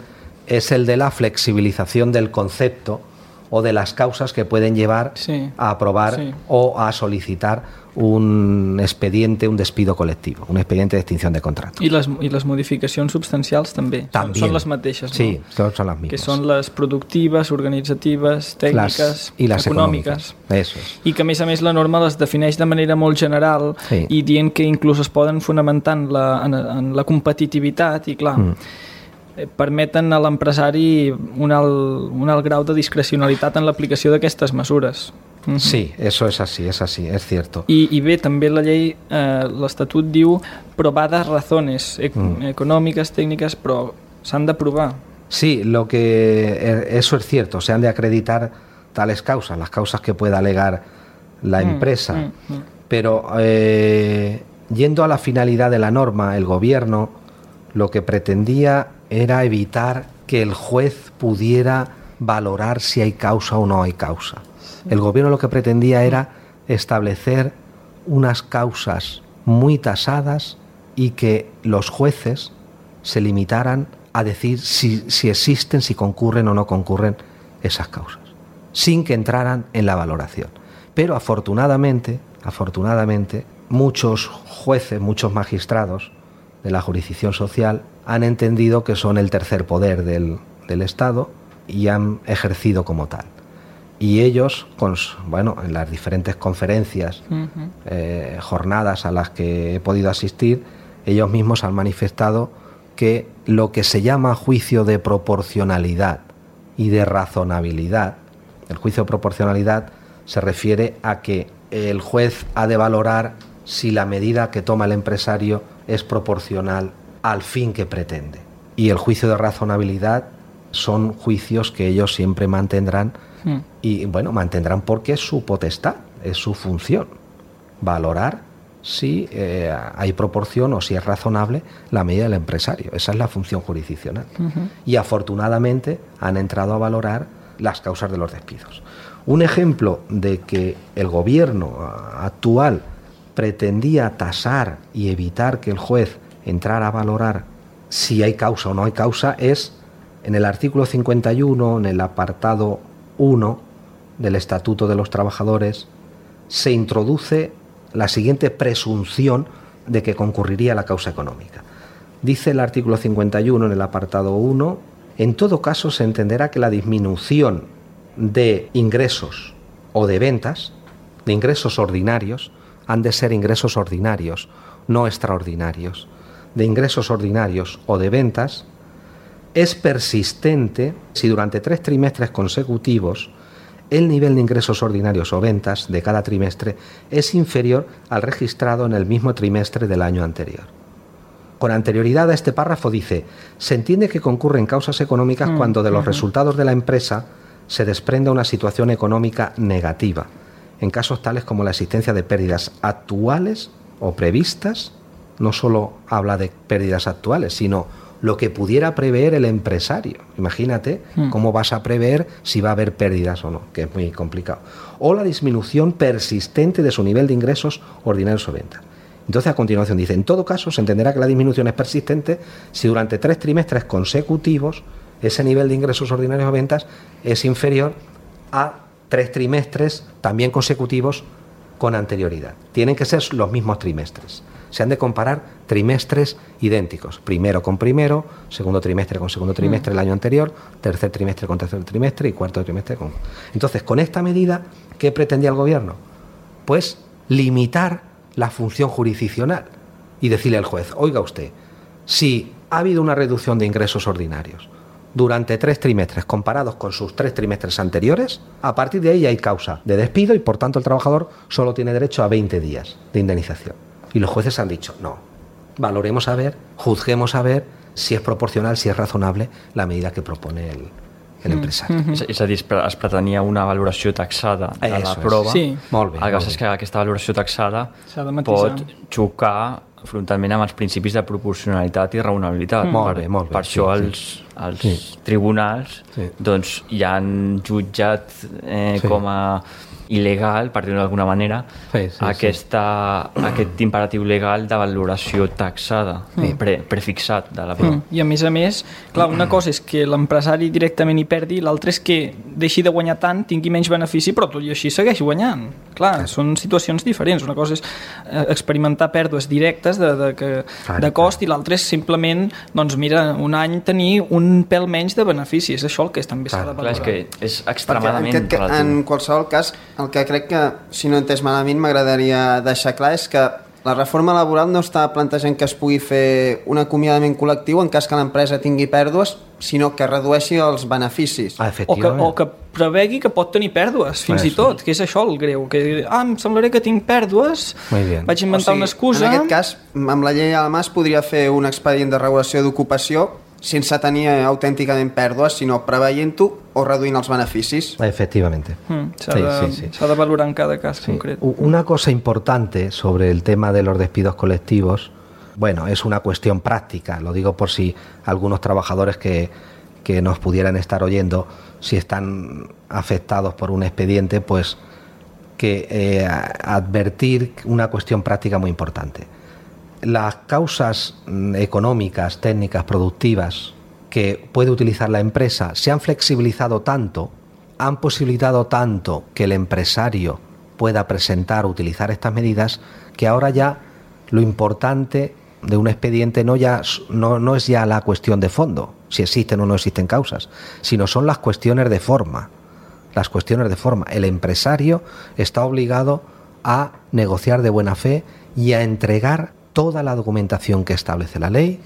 es el de la flexibilización del concepto o de las causas que pueden llevar a aprobar o a solicitar un expediente, un despido colectivo, un expediente de extinción de contrato. I les modificacions substancials també. Són les mateixes, no? Sí, son las mismas. Que són les productives, organitzatives, tècniques, i les econòmiques. Eso es. I que, a més, la norma les defineix de manera molt general i dient que inclús es poden fonamentar en la competitivitat i, clar, permeten a l'empresari un alt grau de discrecionalitat en l'aplicació d'aquestes mesures. Sí, eso es así, es cierto. I bé, també la llei, l'Estatut diu probadas razones econòmiques, tècniques, però s'han de provar. Sí, eso es cierto, se han de acreditar tales causas, las causas que pueda alegar la empresa. Pero yendo a la finalidad de la norma, el gobierno lo que pretendía era evitar que el juez pudiera valorar si hay causa o no hay causa. El gobierno lo que pretendía era establecer unas causas muy tasadas y que los jueces se limitaran a decir si existen, si concurren o no concurren esas causas, sin que entraran en la valoración. Pero afortunadamente, muchos jueces, muchos magistrados de la jurisdicción social han entendido que son el tercer poder del Estado y han ejercido como tal. Y ellos, en las diferentes conferencias, jornadas a las que he podido asistir, ellos mismos han manifestado que lo que se llama juicio de proporcionalidad y de razonabilidad, el juicio de proporcionalidad se refiere a que el juez ha de valorar si la medida que toma el empresario es proporcional al fin que pretende. Y el juicio de razonabilidad son juicios que ellos siempre mantendrán y mantendrán porque es su potestad, es su función, valorar si hay proporción o si es razonable la medida del empresario. Esa es la función jurisdiccional. Y afortunadamente han entrado a valorar las causas de los despidos. Un ejemplo de que el gobierno actual pretendía tasar y evitar que el juez entrara a valorar si hay causa o no hay causa es En el artículo 51, en el apartado 1 del Estatuto de los Trabajadores, se introduce la siguiente presunción de que concurriría la causa económica. Dice el artículo 51 en el apartado 1, en todo caso se entenderá que la disminución de ingresos o de ventas, de ingresos ordinarios, han de ser ingresos ordinarios, no extraordinarios, de ingresos ordinarios o de ventas, es persistente si durante 3 trimestres consecutivos el nivel de ingresos ordinarios o ventas de cada trimestre es inferior al registrado en el mismo trimestre del año anterior. Con anterioridad a este párrafo dice, se entiende que concurren causas económicas cuando de los resultados de la empresa se desprenda una situación económica negativa, en casos tales como la existencia de pérdidas actuales o previstas. No solo habla de pérdidas actuales, sino lo que pudiera prever el empresario. Imagínate cómo vas a prever si va a haber pérdidas o no, que es muy complicado. O la disminución persistente de su nivel de ingresos ordinarios o ventas. Entonces, a continuación dice, en todo caso, se entenderá que la disminución es persistente si durante 3 trimestres consecutivos ese nivel de ingresos ordinarios o ventas es inferior a 3 trimestres también consecutivos con anterioridad. Tienen que ser los mismos trimestres. Se han de comparar trimestres idénticos, primero con primero, segundo trimestre con segundo trimestre el año anterior, tercer trimestre con tercer trimestre y cuarto trimestre con... Entonces, con esta medida, ¿qué pretendía el gobierno? Pues limitar la función jurisdiccional y decirle al juez, oiga usted, si ha habido una reducción de ingresos ordinarios durante 3 trimestres comparados con sus 3 trimestres anteriores, a partir de ahí hay causa de despido y por tanto el trabajador solo tiene derecho a 20 días de indemnización. Y los jueces han dicho, no, valoremos a ver, juzguemos a ver si és proporcional, si és razonable la medida que propone l'empresari. És a dir, es pretenia una valoració taxada de la prova. Sí. Molt bé. El que passa és que aquesta valoració taxada S'ha de matisar. pot xocar frontalment amb els principis de proporcionalitat i raonabilitat. Molt bé, molt bé. Per això Sí, els tribunals doncs, ja han jutjat com a il·legal, per dir-ho d'alguna manera, aquest imperatiu legal de valoració taxada, prefixat de la prova. I a més, clar, una cosa és que l'empresari directament hi perdi, l'altra és que deixi de guanyar tant, tingui menys benefici, però tot i així segueix guanyant. Clar, són situacions diferents. Una cosa és experimentar pèrdues directes de cost i l'altra és simplement, doncs mira, un any tenir un pèl menys de beneficis. Això el que també s'ha de valorar. Clar, és que és extremadament relatiu. En qualsevol cas, el que crec que, si no he entès malament, m'agradaria deixar clar és que la reforma laboral no està plantejant que es pugui fer un acomiadament col·lectiu en cas que l'empresa tingui pèrdues, sinó que redueixi els beneficis. O que prevegui que pot tenir pèrdues, fins i tot, que és això el greu, que em semblaré que tinc pèrdues, vaig inventar una excusa... En aquest cas, amb la llei a la mà es podria fer un expedient de regulació d'ocupació sense tenir autènticament pèrdues, sinó preveient-ho o reduint els beneficis. Efectivamente. S'ha de valorar en cada cas concret. Una cosa importante sobre el tema de los despidos colectivos, bueno, es una cuestión práctica, lo digo por si algunos trabajadores que nos pudieran estar oyendo, si están afectados por un expediente, pues que advertir una cuestión práctica muy importante. Las causas económicas, técnicas, productivas que puede utilizar la empresa se han flexibilizado tanto, han posibilitado tanto que el empresario pueda presentar o utilizar estas medidas, que ahora ya lo importante de un expediente no es ya la cuestión de fondo, si existen o no existen causas, sino son las cuestiones de forma. Las cuestiones de forma. El empresario está obligado a negociar de buena fe y a entregar toda la documentación que establece la ley,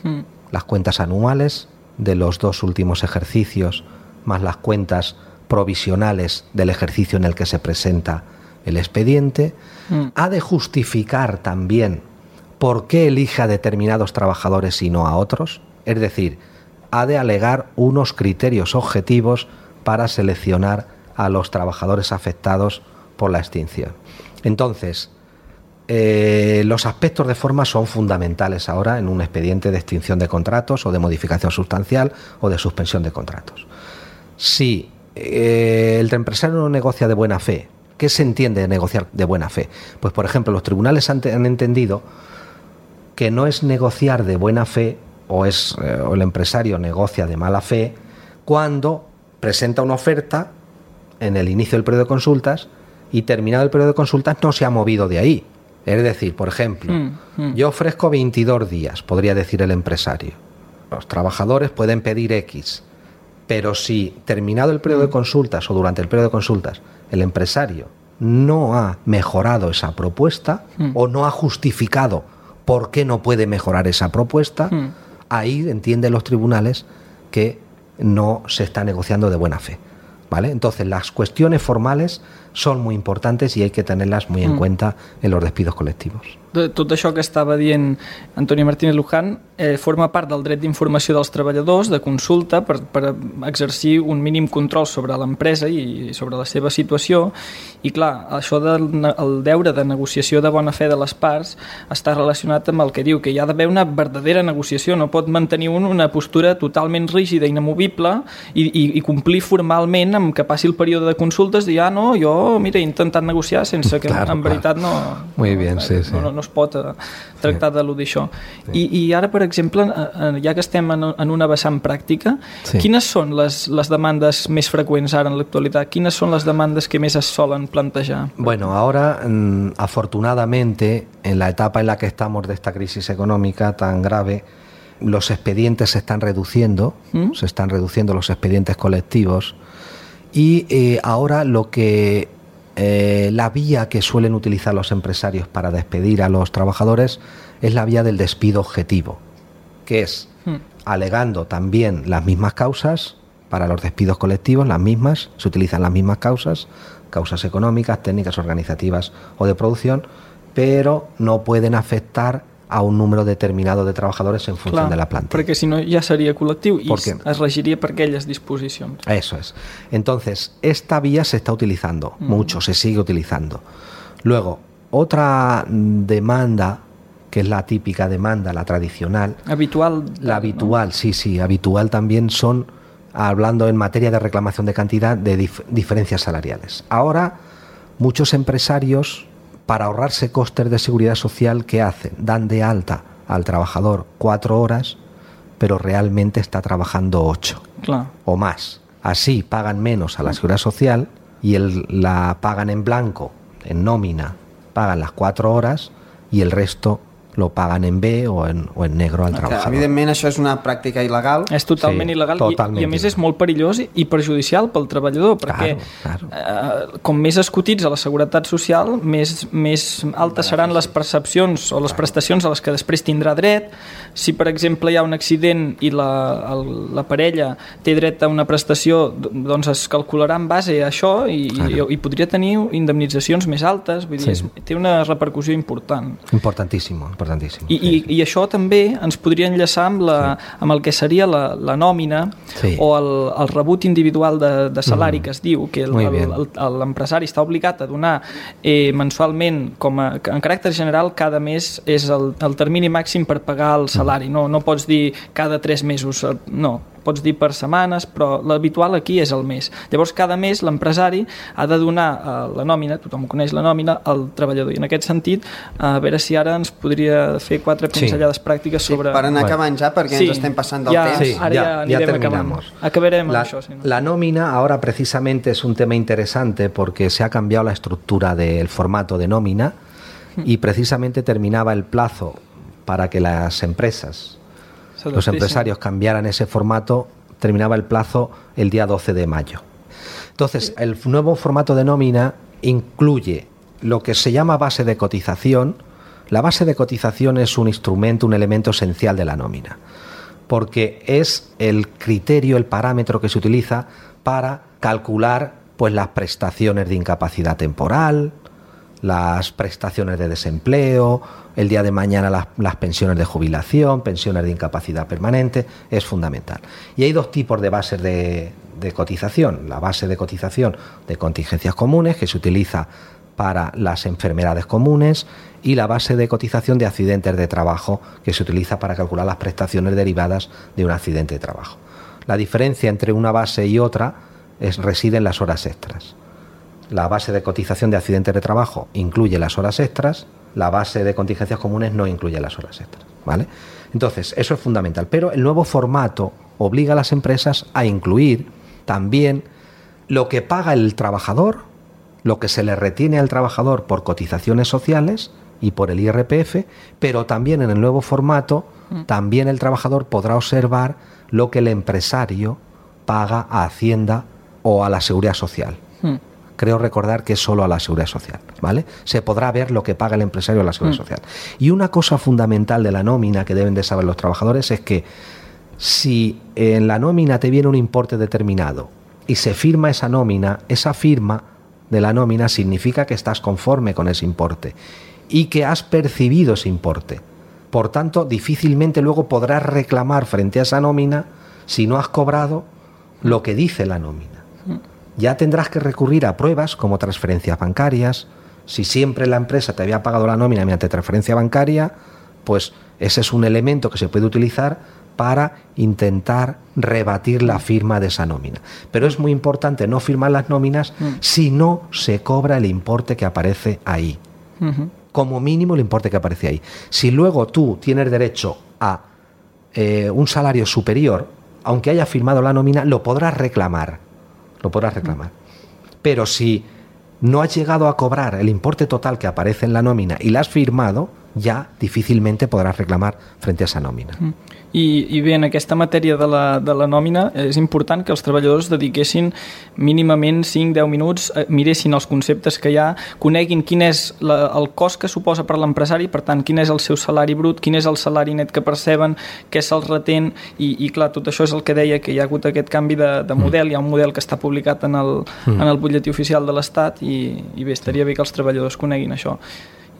las cuentas anuales de los 2 últimos ejercicios, más las cuentas provisionales del ejercicio en el que se presenta el expediente, ha de justificar también por qué elige a determinados trabajadores y no a otros, es decir, ha de alegar unos criterios objetivos para seleccionar a los trabajadores afectados por la extinción. Entonces, los aspectos de forma son fundamentales ahora en un expediente de extinción de contratos o de modificación sustancial o de suspensión de contratos. Si el empresario no negocia de buena fe, ¿qué se entiende de negociar de buena fe? Pues, por ejemplo, los tribunales han entendido que no es negociar de buena fe o el empresario negocia de mala fe cuando presenta una oferta en el inicio del periodo de consultas y terminado el periodo de consultas no se ha movido de ahí. Es decir, por ejemplo, yo ofrezco 22 días, podría decir el empresario. Los trabajadores pueden pedir X, pero si terminado el periodo de consultas o durante el periodo de consultas el empresario no ha mejorado esa propuesta o no ha justificado por qué no puede mejorar esa propuesta, ahí entienden los tribunales que no se está negociando de buena fe, ¿vale? Entonces, las cuestiones formales són muy importantes i hay que tenerlas muy en cuenta en los despidos colectivos. Tot això que estava dient Antonio Martínez Luján forma part del dret d'informació dels treballadors, de consulta, per exercir un mínim control sobre l'empresa i sobre la seva situació. I clar, això del deure de negociació de bona fe de les parts està relacionat amb el que diu, que hi ha d'haver una verdadera negociació, no pot mantenir una postura totalment rígida, inamovible, i complir formalment amb que passi el període de consultes i no, jo, mira, he intentat negociar sense que en veritat no... Muy bien, sí, sí. No es pot tractar d'eludir això. I ara, per exemple, ja que estem en una vessant pràctica, quines són les demandes més freqüents ara en l'actualitat? Quines són les demandes que més es solen plantejar? Bueno, ahora, afortunadamente, en la etapa en la que estamos de esta crisis económica tan grave, los expedientes se están reduciendo los expedientes colectivos y ahora lo que la vía que suelen utilizar los empresarios para despedir a los trabajadores es la vía del despido objetivo, que es alegando también las mismas causas para los despidos colectivos, las mismas, se utilizan las mismas causas económicas, técnicas, organizativas o de producción, pero no pueden afectar a un número determinado de trabajadores en función de la plantilla. Perquè si no ja seria col·lectiu i es regiria per aquelles disposicions. Eso es. Entonces, esta vía se está utilizando mucho, se sigue utilizando. Luego, otra demanda, que es la típica demanda, la tradicional. Habitual. La habitual, ¿no? Sí, habitual también son, hablando en materia de reclamación de cantidad, de diferencias salariales. Ahora, muchos empresarios, para ahorrarse costes de seguridad social, ¿qué hacen? Dan de alta al trabajador 4 horas, pero realmente está trabajando 8 o más. Así pagan menos a la seguridad social y la pagan en blanco, en nómina, pagan las 4 horas y el resto lo pagan en B o en negro al trabajador. Evidentment això és una pràctica il·legal. És totalment il·legal i a més és molt perillós i perjudicial pel treballador, perquè com més es cotitza la seguretat social, més altes seran les percepcions o les prestacions a les que després tindrà dret. Si, per exemple, hi ha un accident i la parella té dret a una prestació, doncs es calcularà en base a això i podria tenir indemnitzacions més altes. Vull dir, té una repercussió important. Importantíssimo. I això també ens podria enllaçar amb el que seria la nòmina o el rebut individual de salari que es diu, que l'empresari està obligat a donar mensualment, en caràcter general, cada mes és el termini màxim per pagar el salari. No pots dir cada 3 mesos, no. Pots dir per setmanes, però l'habitual aquí és el mes. Llavors, cada mes l'empresari ha de donar la nòmina, tothom coneix la nòmina, al treballador. I en aquest sentit, a veure si ara ens podria fer 4 pinzellades pràctiques sobre... Per anar acabant ja, perquè ens estem passant del temps. Sí, ya terminamos. Acabarem amb això. La nómina ahora precisamente es un tema interesante porque se ha cambiado la estructura del formato de nómina y precisamente terminaba el plazo para que las empresas... los empresarios cambiaran ese formato, terminaba el plazo el día 12 de mayo. Entonces, el nuevo formato de nómina incluye lo que se llama base de cotización. La base de cotización es un instrumento, un elemento esencial de la nómina, porque es el criterio, el parámetro que se utiliza para calcular pues las prestaciones de incapacidad temporal, las prestaciones de desempleo, el día de mañana las pensiones de jubilación, pensiones de incapacidad permanente, es fundamental. Y hay 2 tipos de bases de cotización. La base de cotización de contingencias comunes, que se utiliza para las enfermedades comunes, y la base de cotización de accidentes de trabajo, que se utiliza para calcular las prestaciones derivadas de un accidente de trabajo. La diferencia entre una base y otra reside en las horas extras. La base de cotización de accidentes de trabajo incluye las horas extras, la base de contingencias comunes no incluye las horas extras. ¿vale? Entonces, eso es fundamental. Pero el nuevo formato obliga a las empresas a incluir también lo que paga el trabajador, lo que se le retiene al trabajador por cotizaciones sociales y por el IRPF, pero también en el nuevo formato, también el trabajador podrá observar lo que el empresario paga a Hacienda o a la Seguridad Social. Creo recordar que es solo a la Seguridad Social, ¿vale? Se podrá ver lo que paga el empresario a la Seguridad Social. Y una cosa fundamental de la nómina que deben de saber los trabajadores es que si en la nómina te viene un importe determinado y se firma esa nómina, esa firma de la nómina significa que estás conforme con ese importe y que has percibido ese importe. Por tanto, difícilmente luego podrás reclamar frente a esa nómina si no has cobrado lo que dice la nómina. Ya tendrás que recurrir a pruebas como transferencias bancarias. Si siempre la empresa te había pagado la nómina mediante transferencia bancaria, pues ese es un elemento que se puede utilizar para intentar rebatir la firma de esa nómina. Pero es muy importante no firmar las nóminas si no se cobra el importe que aparece ahí. Como mínimo el importe que aparece ahí. Si luego tú tienes derecho a un salario superior, aunque hayas firmado la nómina, lo podrás reclamar. Pero si no has llegado a cobrar el importe total que aparece en la nómina y la has firmado, ja difícilmente podràs reclamar frente a esa nòmina. I bé, en aquesta matèria de la nòmina és important que els treballadors dediquessin mínimament 5-10 minuts, miressin els conceptes que hi ha, coneguin quin és el cost que suposa per l'empresari, per tant, quin és el seu salari brut, quin és el salari net que perceben, què se'ls retén, i clar, tot això és el que deia, que hi ha hagut aquest canvi de model, hi ha un model que està publicat en el butlletí oficial de l'Estat, i bé, estaria bé que els treballadors coneguin això.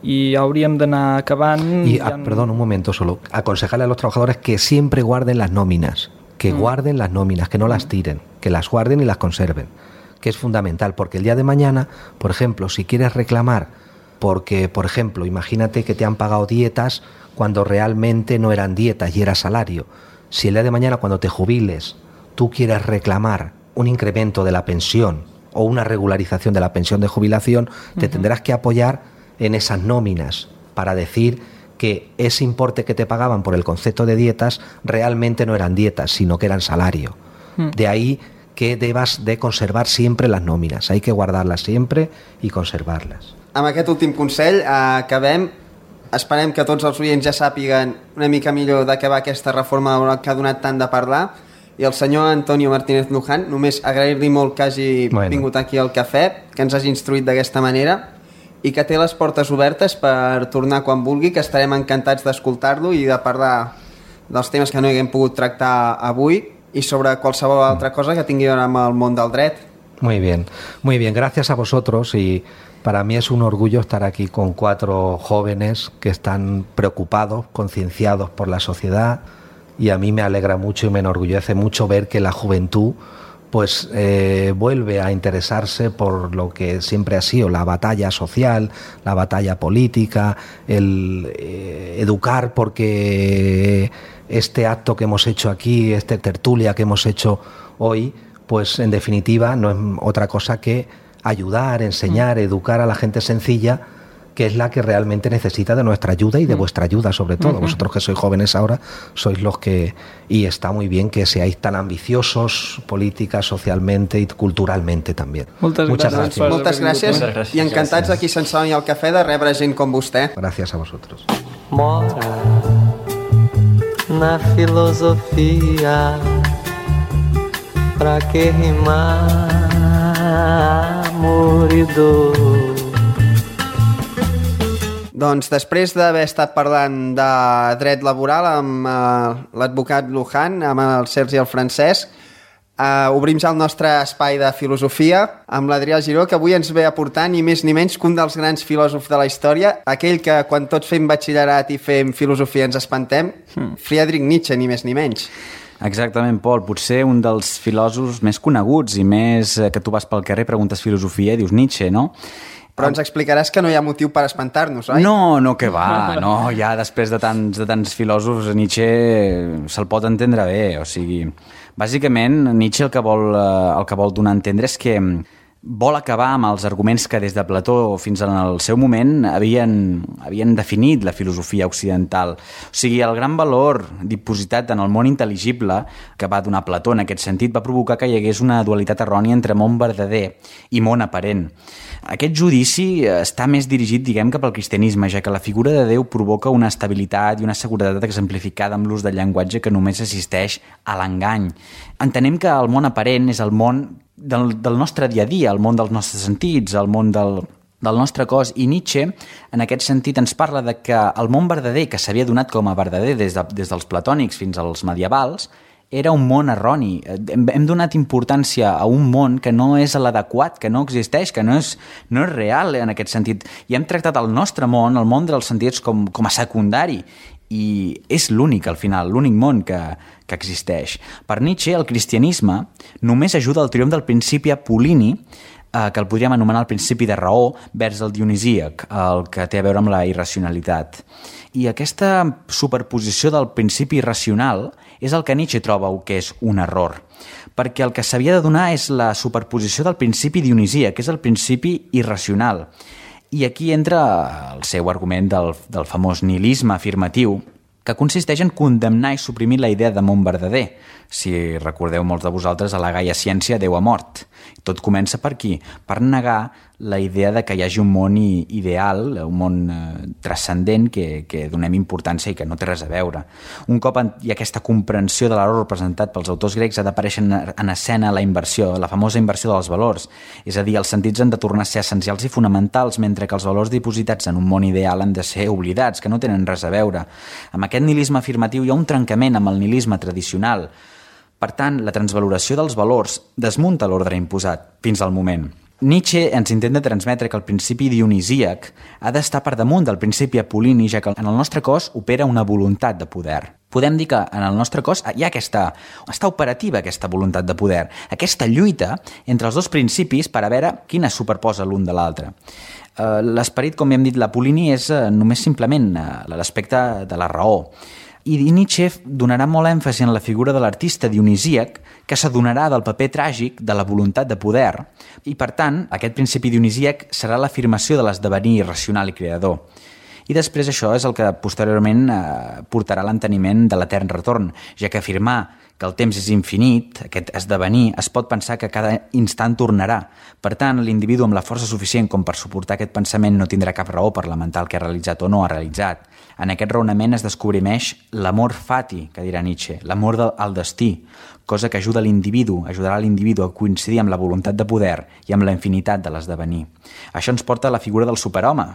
Y habríamos de anar acabant. Perdón, un momento solo. Aconsejarle a los trabajadores que siempre guarden las nóminas, que guarden las nóminas, que no las tiren, que las guarden y las conserven, que es fundamental, porque el día de mañana, por ejemplo, si quieres reclamar, porque, por ejemplo, imagínate que te han pagado dietas cuando realmente no eran dietas y era salario. Si el día de mañana, cuando te jubiles, tú quieres reclamar un incremento de la pensión o una regularización de la pensión de jubilación, te tendrás que apoyar en esas nóminas para decir que ese importe que te pagaban por el concepto de dietas realmente no eran dietas, sino que eran salario. De ahí que debas de conservar siempre las nóminas. Hay que guardarlas siempre y conservarlas. Amb aquest últim consell acabem. Esperem que tots els oients ja sàpiguen una mica millor de què va aquesta reforma laboral que ha donat tant de parlar. I el senyor Antonio Martínez Luján, només agrair-li molt que hagi vingut aquí al cafè, que ens hagi instruït d'aquesta manera, i que té les portes obertes per tornar quan vulgui, que estarem encantats d'escoltar-lo i de parlar dels temes que no haguem pogut tractar avui y sobre qualsevol altra cosa que tingui a veure amb el món del dret. Muy bien, gracias a vosotros, y para mí es un orgullo estar aquí con 4 jóvenes que están preocupados, concienciados por la sociedad, y a mí me alegra mucho y me enorgullece mucho ver que la juventud pues vuelve a interesarse por lo que siempre ha sido la batalla social, la batalla política, el educar, porque este acto que hemos hecho aquí, esta tertulia que hemos hecho hoy, pues en definitiva no es otra cosa que ayudar, enseñar, educar a la gente sencilla, que es la que realmente necesita de nuestra ayuda y de vuestra ayuda sobre todo. Vosotros que sois jóvenes ahora sois los que... Y está muy bien que seáis tan ambiciosos política, socialmente y culturalmente también. Muchas gracias. Moltes gràcies. I encantats aquí a Sant Celoni al cafè de rebre gent com vostè. Gracias a vosotros. Mora na filosofia, pra que rimar amor y dor. Doncs després d'haver estat parlant de dret laboral amb l'advocat Luján, amb el Sergi i el Francesc, obrim ja el nostre espai de filosofia amb l'Adrià Giró, que avui ens ve a portar ni més ni menys que un dels grans filòsofs de la història, aquell que quan tots fem batxillerat i fem filosofia ens espantem, Friedrich Nietzsche, ni més ni menys. Exactament, Pol. Potser un dels filòsofs més coneguts i més que tu vas pel carrer, preguntes filosofia i dius Nietzsche, no? Però ens explicaràs que no hi ha motiu per espantar-nos, oi? No, que va. No, ja després de tants filòsofs, Nietzsche se'l pot entendre bé. O sigui, bàsicament, Nietzsche el que vol donar a entendre és que vol acabar amb els arguments que des de Plató fins al seu moment havien definit la filosofia occidental. O sigui, el gran valor dipositat en el món intel·ligible que va donar Plató en aquest sentit va provocar que hi hagués una dualitat errònia entre món verdader i món aparent. Aquest judici està més dirigit, diguem, cap al cristianisme, ja que la figura de Déu provoca una estabilitat i una seguretat exemplificada amb l'ús del llenguatge que només assisteix a l'engany. Entenem que el món aparent és el món del nostre dia a dia, el món dels nostres sentits, el món del nostre cos, i Nietzsche en aquest sentit ens parla de que el món verdader, que s'havia donat com a verdader des dels platònics fins als medievals, era un món erroni. Hem donat importància a un món que no és l'adequat, que no existeix, que no és real en aquest sentit. I hem tractat el nostre món, el món dels sentits, com a secundari. I és l'únic, al final, l'únic món que existeix. Per Nietzsche, el cristianisme només ajuda al triomf del principi apol·lini, que el podríem anomenar el principi de raó, vers el dionisíac, el que té a veure amb la irracionalitat. I aquesta superposició del principi irracional és el que Nietzsche troba que és un error, perquè el que s'havia de donar és la superposició del principi dionisíac, que és el principi irracional. I aquí entra el seu argument del famós nihilisme afirmatiu, que consisteix en condemnar i suprimir la idea de món verdader. Si recordeu molts de vosaltres, a la Gaia Ciència Déu ha mort. Tot comença per aquí, per negar la idea de que hi hagi un món ideal, un món transcendent que donem importància i que no té res a veure. Un cop hi ha aquesta comprensió de l'error representat pels autors grecs, ha d'aparèixer en escena la inversió, la famosa inversió dels valors. És a dir, els sentits han de tornar a ser essencials i fonamentals, mentre que els valors dipositats en un món ideal han de ser oblidats, que no tenen res a veure. Amb aquest nihilisme afirmatiu hi ha un trencament amb el nihilisme tradicional. Per tant, la transvaloració dels valors desmunta l'ordre imposat fins al moment. Nietzsche ens intenta transmetre que el principi dionisíac ha d'estar per damunt del principi apol·lini, ja que en el nostre cos opera una voluntat de poder. Podem dir que en el nostre cos hi ha està operativa aquesta voluntat de poder, aquesta lluita entre els dos principis per a veure quina es superposa l'un de l'altre. L'esperit, com hem dit, l'apol·lini és només simplement l'aspecte de la raó. I Nietzsche donarà molt èmfasi en la figura de l'artista dionisíac, que s'adonarà del paper tràgic de la voluntat de poder, i per tant aquest principi dionisíac serà l'afirmació de l'esdevenir irracional i creador. I després això és el que posteriorment portarà l'enteniment de l'etern retorn, ja que afirmar que el temps és infinit, aquest esdevenir, es pot pensar que cada instant tornarà. Per tant, l'individu amb la força suficient com per suportar aquest pensament no tindrà cap raó per lamentar el que ha realitzat o no ha realitzat. En aquest raonament es descobrimeix l'amor fati, que dirà Nietzsche, l'amor al destí, cosa que ajudarà l'individu a coincidir amb la voluntat de poder i amb la infinitat de l'esdevenir. Això ens porta a la figura del superhome,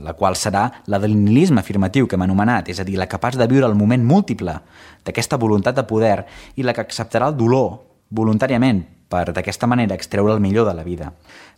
la qual serà la del nihilisme afirmatiu que hem anomenat, és a dir, la capaç de viure el moment múltiple d'aquesta voluntat de poder i la que acceptarà el dolor voluntàriament per d'aquesta manera extreure el millor de la vida.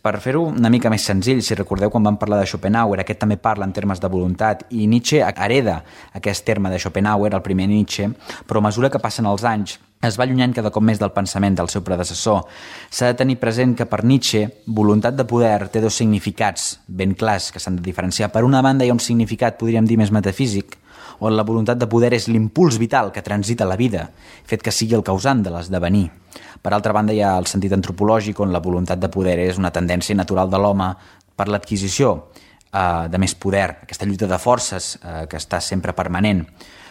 Per fer-ho una mica més senzill, si recordeu quan vam parlar de Schopenhauer, aquest també parla en termes de voluntat i Nietzsche hereda aquest terme de Schopenhauer, el primer Nietzsche, però a mesura que passen els anys es va allunyant cada cop més del pensament del seu predecessor. S'ha de tenir present que per Nietzsche voluntat de poder té dos significats ben clars que s'han de diferenciar. Per una banda hi ha un significat, podríem dir, més metafísic, on la voluntat de poder és l'impuls vital que transita la vida, fet que sigui el causant de l'esdevenir. Per altra banda, hi ha el sentit antropològic, on la voluntat de poder és una tendència natural de l'home per l'adquisició de més poder, aquesta lluita de forces que està sempre permanent.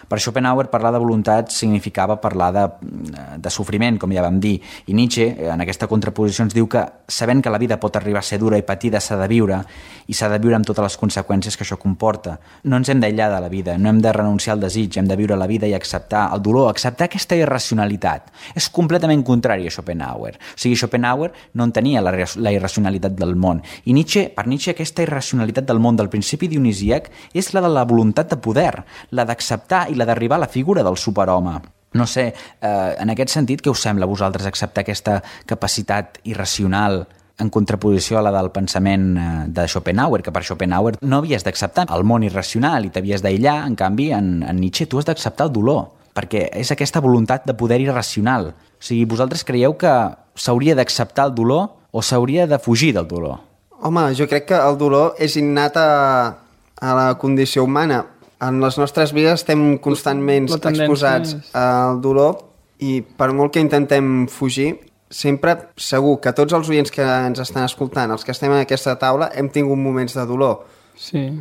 Per Schopenhauer, parlar de voluntat significava parlar de sofriment, com ja vam dir, i Nietzsche, en aquesta contraposició, ens diu que, sabent que la vida pot arribar a ser dura i patida, s'ha de viure, i s'ha de viure amb totes les conseqüències que això comporta. No ens hem d'aïllar de la vida, no hem de renunciar al desig, hem de viure la vida i acceptar el dolor, acceptar aquesta irracionalitat. És completament contrari a Schopenhauer. O sigui, Schopenhauer no entenia la irracionalitat del món, i per Nietzsche aquesta irracionalitat del món del principi dionisíac és la de la voluntat de poder, la d'acceptar i la d'arribar a la figura del superhome. No sé, en aquest sentit, què us sembla a vosaltres acceptar aquesta capacitat irracional en contraposició a la del pensament de Schopenhauer, que per Schopenhauer no havies d'acceptar el món irracional i t'havies d'aïllar, en canvi, en Nietzsche tu has d'acceptar el dolor, perquè és aquesta voluntat de poder irracional. O sigui, vosaltres creieu que s'hauria d'acceptar el dolor o s'hauria de fugir del dolor? Home, jo crec que el dolor és innat a la condició humana. En les nostres vides estem constantment exposats al dolor i per molt que intentem fugir, sempre, segur que tots els oients que ens estan escoltant, els que estem en aquesta taula, hem tingut moments de dolor,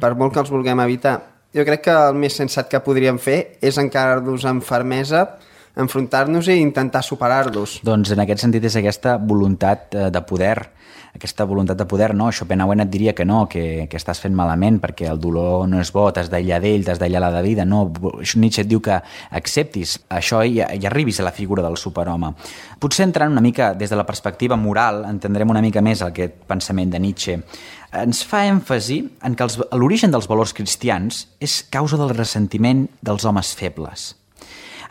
per molt que els vulguem evitar. Jo crec que el més sensat que podríem fer és encarar-nos amb fermesa, enfrontar-nos i intentar superar-los. Doncs en aquest sentit és aquesta voluntat de poder. Aquesta voluntat de poder, no, Schopenhauer et diria que no, que estàs fent malament perquè el dolor no és bo, t'has d'aïllar d'ell, t'has d'aïllar la vida, no. Nietzsche et diu que acceptis això i arribis a la figura del superhome. Potser entrant una mica des de la perspectiva moral, entendrem una mica més aquest pensament de Nietzsche. Ens fa èmfasi en que l'origen dels valors cristians és causa del ressentiment dels homes febles.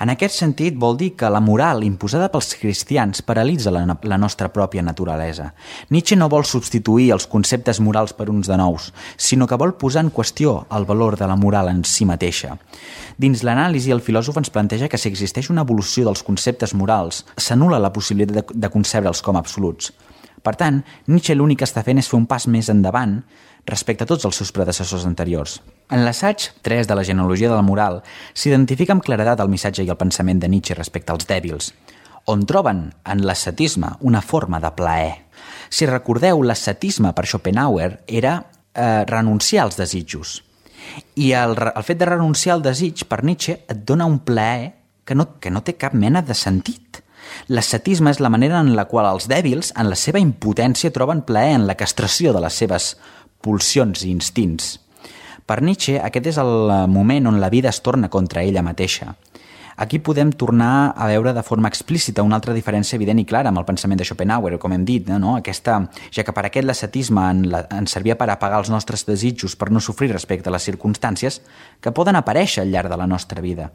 En aquest sentit, vol dir que la moral imposada pels cristians paralitza la nostra pròpia naturalesa. Nietzsche no vol substituir els conceptes morals per uns de nous, sinó que vol posar en qüestió el valor de la moral en si mateixa. Dins l'anàlisi, el filòsof ens planteja que si existeix una evolució dels conceptes morals, s'anul·la la possibilitat de concebre'ls com absoluts. Per tant, Nietzsche l'únic que està fent és fer un pas més endavant respecte a tots els seus predecessors anteriors. En l'assaig 3 de la genealogia de la moral s'identifica amb claredat el missatge i el pensament de Nietzsche respecte als dèbils, on troben en l'ascetisme una forma de plaer. Si recordeu, l'ascetisme per Schopenhauer era renunciar als desitjos. I el fet de renunciar al desig per Nietzsche et dona un plaer que no té cap mena de sentit. L'ascetisme és la manera en la qual els dèbils, en la seva impotència, troben plaer en la castració de les seves pulsions i instints. Per Nietzsche, aquest és el moment on la vida es torna contra ella mateixa. Aquí podem tornar a veure de forma explícita una altra diferència evident i clara amb el pensament de Schopenhauer, com hem dit, no? Ja que per aquest l'ascetisme ens servia per apagar els nostres desitjos per no sofrir respecte a les circumstàncies que poden aparèixer al llarg de la nostra vida.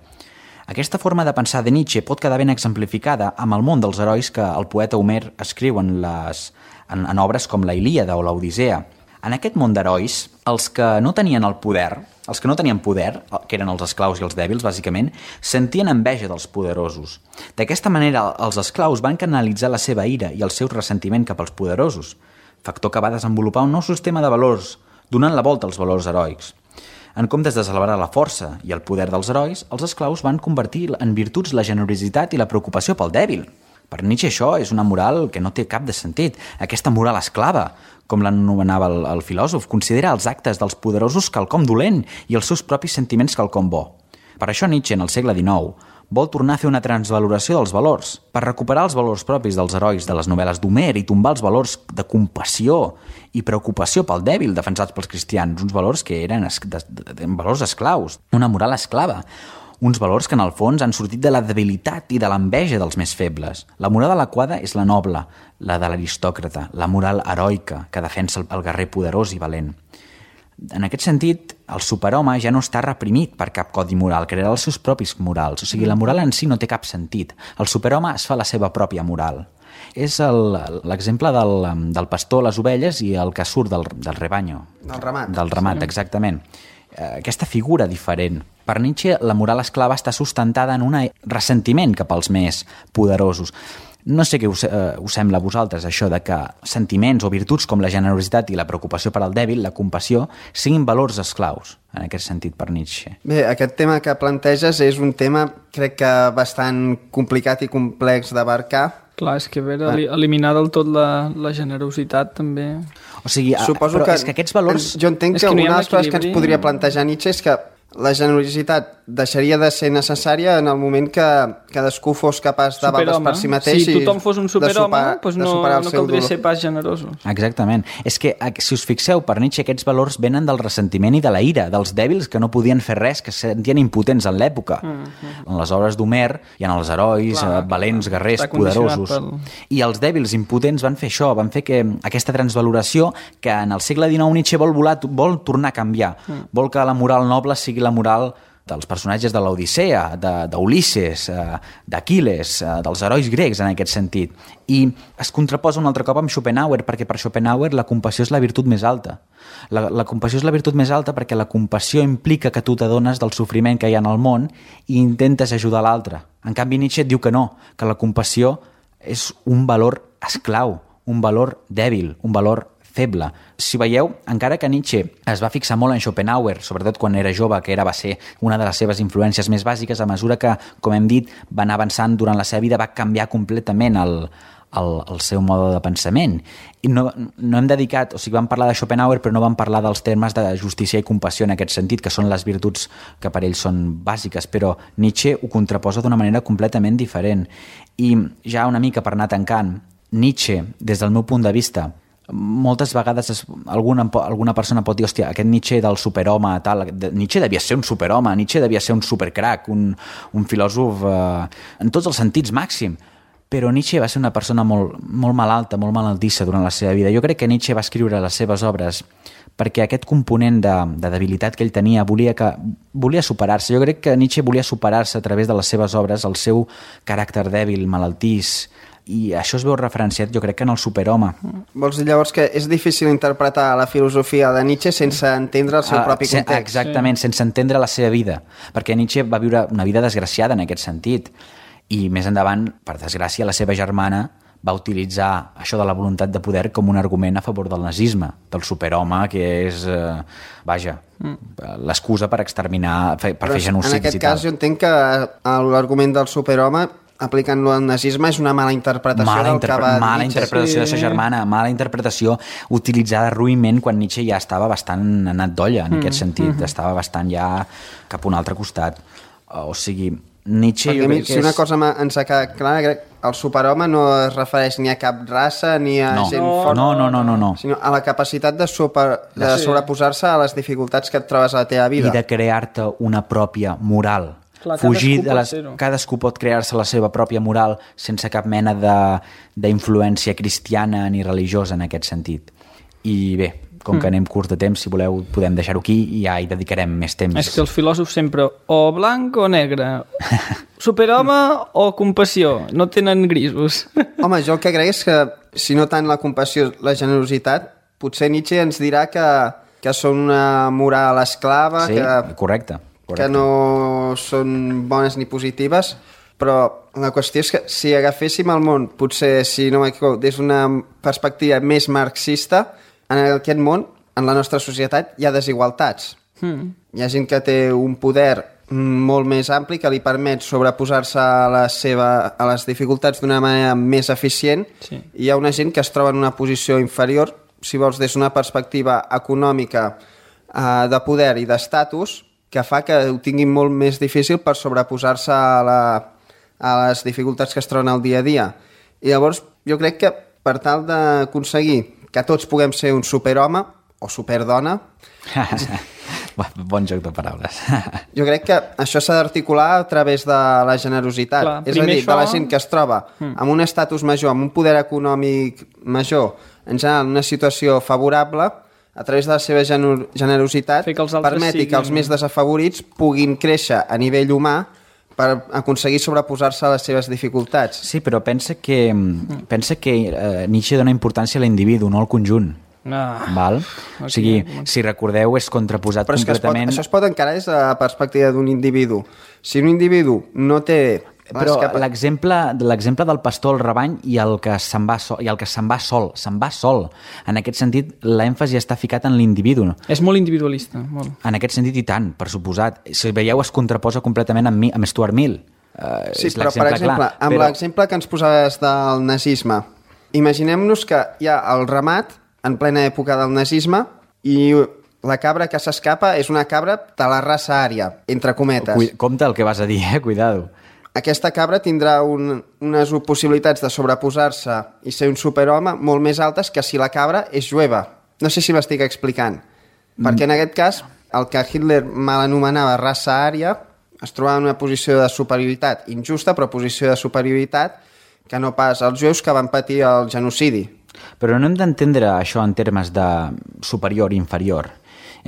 Aquesta forma de pensar de Nietzsche pot quedar ben exemplificada amb el món dels herois que el poeta Homer escriu en obres com la Ilíada o l'Odissea. En aquest món d'herois, els que no tenien poder, que eren els esclaus i els dèbils, bàsicament, sentien enveja dels poderosos. D'aquesta manera, els esclaus van canalitzar la seva ira i el seu ressentiment cap als poderosos, factor que va desenvolupar un nou sistema de valors, donant la volta als valors heroics. En comptes de celebrar la força i el poder dels herois, els esclaus van convertir en virtuts la generositat i la preocupació pel dèbil. Per Nietzsche això és una moral que no té cap de sentit. Aquesta moral esclava, com l'anomenava el filòsof, considera els actes dels poderosos quelcom dolent i els seus propis sentiments quelcom bo. Per això Nietzsche, en el segle XIX, vol tornar a fer una transvaloració dels valors, per recuperar els valors propis dels herois de les novel·les d'Homer i tombar els valors de compassió i preocupació pel dèbil defensats pels cristians, uns valors que eren valors esclaus, una moral esclava, uns valors que en el fons han sortit de la debilitat i de l'enveja dels més febles. La moral adequada és la noble, la de l'aristòcrata, la moral heroica que defensa el guerrer poderós i valent. En aquest sentit, el superhome ja no està reprimit per cap codi moral, crearà els seus propis morals. O sigui, la moral en si no té cap sentit. El superhome es fa la seva pròpia moral. És l'exemple del pastor, les ovelles i el que surt del rebanyo. Del ramat, exactament. Aquesta figura diferent. Per Nietzsche, la moral esclava està sustentada en un ressentiment cap als més poderosos. No sé què us sembla a vosaltres, això de que sentiments o virtuts com la generositat i la preocupació per al dèbil, la compassió, siguin valors esclaus, en aquest sentit, per Nietzsche. Bé, aquest tema que planteges és un tema, crec que bastant complicat i complex d'abarcar. Clar, és que eliminar del tot la generositat també... O sigui, suposo però és que aquests valors... Jo entenc que una de les coses que ens podria plantejar Nietzsche és que la generositat deixaria de ser necessària en el moment que cadascú fos capaç de valdre's per si mateix. Si tothom fos un superhome, doncs no caldria ser pas generosos. Exactament. És que, si us fixeu, per Nietzsche aquests valors venen del ressentiment i de la ira, dels dèbils que no podien fer res, que se sentien impotents en l'època. En les obres d'Homer hi ha els herois, valents, guerrers, poderosos. I els dèbils impotents van fer això, van fer que aquesta transvaloració que en el segle XIX Nietzsche vol tornar a canviar. Vol que la moral noble sigui la moral dels personatges de l'Odissea, d'Ulisses, d'Aquil·les, dels herois grecs en aquest sentit. I es contraposa un altre cop amb Schopenhauer, perquè per Schopenhauer la compassió és la virtut més alta. La compassió és la virtut més alta perquè la compassió implica que tu t'adones del sofriment que hi ha en el món i intentes ajudar l'altre. En canvi, Nietzsche et diu que no, que la compassió és un valor esclau, un valor dèbil, un valor feble. Si veieu, encara que Nietzsche es va fixar molt en Schopenhauer, sobretot quan era jove, que va ser una de les seves influències més bàsiques, a mesura que, com hem dit, va anar avançant durant la seva vida, va canviar completament el seu mode de pensament. I no hem dedicat, o sigui, vam parlar de Schopenhauer, però no vam parlar dels termes de justícia i compassió en aquest sentit, que són les virtuts que per ells són bàsiques, però Nietzsche ho contraposa d'una manera completament diferent. I ja una mica per anar tancant, Nietzsche, des del meu punt de vista, moltes vegades alguna persona pot dir, hòstia, aquest Nietzsche del superhome, tal, Nietzsche devia ser un superhome, Nietzsche devia ser un supercrac, un filòsof en tots els sentits màxim, però Nietzsche va ser una persona molt malalta, molt malaltissa durant la seva vida. Jo crec que Nietzsche va escriure les seves obres perquè aquest component de debilitat que ell tenia volia superar-se. Jo crec que Nietzsche volia superar-se a través de les seves obres, el seu caràcter dèbil, malaltís, i això es veu referenciat, jo crec, que en el superhome. Vols dir llavors que és difícil interpretar la filosofia de Nietzsche sense entendre el seu propi context? Exactament, sense entendre la seva vida, perquè Nietzsche va viure una vida desgraciada en aquest sentit, i més endavant, per desgràcia, la seva germana va utilitzar això de la voluntat de poder com un argument a favor del nazisme, del superhome, que és, l'excusa per exterminar, per fer genocidis i tal. En aquest cas jo entenc que l'argument del superhome aplicant-lo al nazisme és una mala interpretació del que va mala interpretació de sa germana, mala interpretació utilitzada ruïment quan Nietzsche ja estava bastant anat d'olla en aquest sentit, estava bastant ja cap a un altre costat. O sigui, Nietzsche... Perquè si una cosa ens ha quedat clara, crec que el superhome no es refereix ni a cap raça ni a gent fort, sinó a la capacitat de sobreposar-se a les dificultats que et trobes a la teva vida. I de crear-te una pròpia moral. Clar, cadascú pot crear-se la seva pròpia moral sense cap mena d'influència cristiana ni religiosa en aquest sentit. I bé, com que anem curts de temps, si voleu podem deixar-ho aquí i ja hi dedicarem més temps. És que els filòsofs sempre o blanc o negre, superhome o compassió, no tenen grisos. Home, jo el que crec és que si no tant la compassió, la generositat, potser Nietzsche ens dirà que són una moral esclava, sí, correcte. Que no són bones ni positives, però la qüestió és que si agaféssim el món, potser, si no m'equivoco, des d'una perspectiva més marxista, en aquest món, en la nostra societat, hi ha desigualtats. Hi ha gent que té un poder molt més ampli que li permet sobreposar-se a les dificultats d'una manera més eficient, i hi ha una gent que es troba en una posició inferior, si vols, des d'una perspectiva econòmica, de poder i d'estatus, que fa que ho tinguin molt més difícil per sobreposar-se a les dificultats que es troben al dia a dia. I llavors jo crec que per tal d'aconseguir que tots puguem ser un superhome o superdona... Bon joc de paraules. Jo crec que això s'ha d'articular a través de la generositat. Clar, és a dir, de la gent que es troba amb un estatus major, amb un poder econòmic major, en general, en una situació favorable, a través de la seva generositat, permeti que els més desafavorits puguin créixer a nivell humà per aconseguir sobreposar-se a les seves dificultats. Sí, però pensa que Nietzsche dona importància a l'individu, no al conjunt. Val? O sigui, si recordeu, és contraposat completament... Això es pot encarar des de la perspectiva d'un individu. Si un individu no té... Però l'exemple del pastor al rebany i el que se'n va sol. En aquest sentit, l'èmfasi està ficat en l'individu. És molt individualista. Molt. En aquest sentit, i tant, per suposat. Si veieu, es contraposa completament amb Stuart Mill. Sí, però per exemple, amb l'exemple que ens posaves del nazisme, imaginem-nos que hi ha el ramat en plena època del nazisme i la cabra que s'escapa és una cabra de la raça ària, entre cometes. Compte el que vas a dir, cuidado. Aquesta cabra tindrà unes possibilitats de sobreposar-se i ser un superhome molt més altes que si la cabra és jueva. No sé si m'estic explicant. Perquè en aquest cas, el que Hitler mal anomenava raça ària es trobava en una posició de superioritat injusta, però posició de superioritat que no pas els jueus que van patir el genocidi. Però no hem d'entendre això en termes de superior i inferior.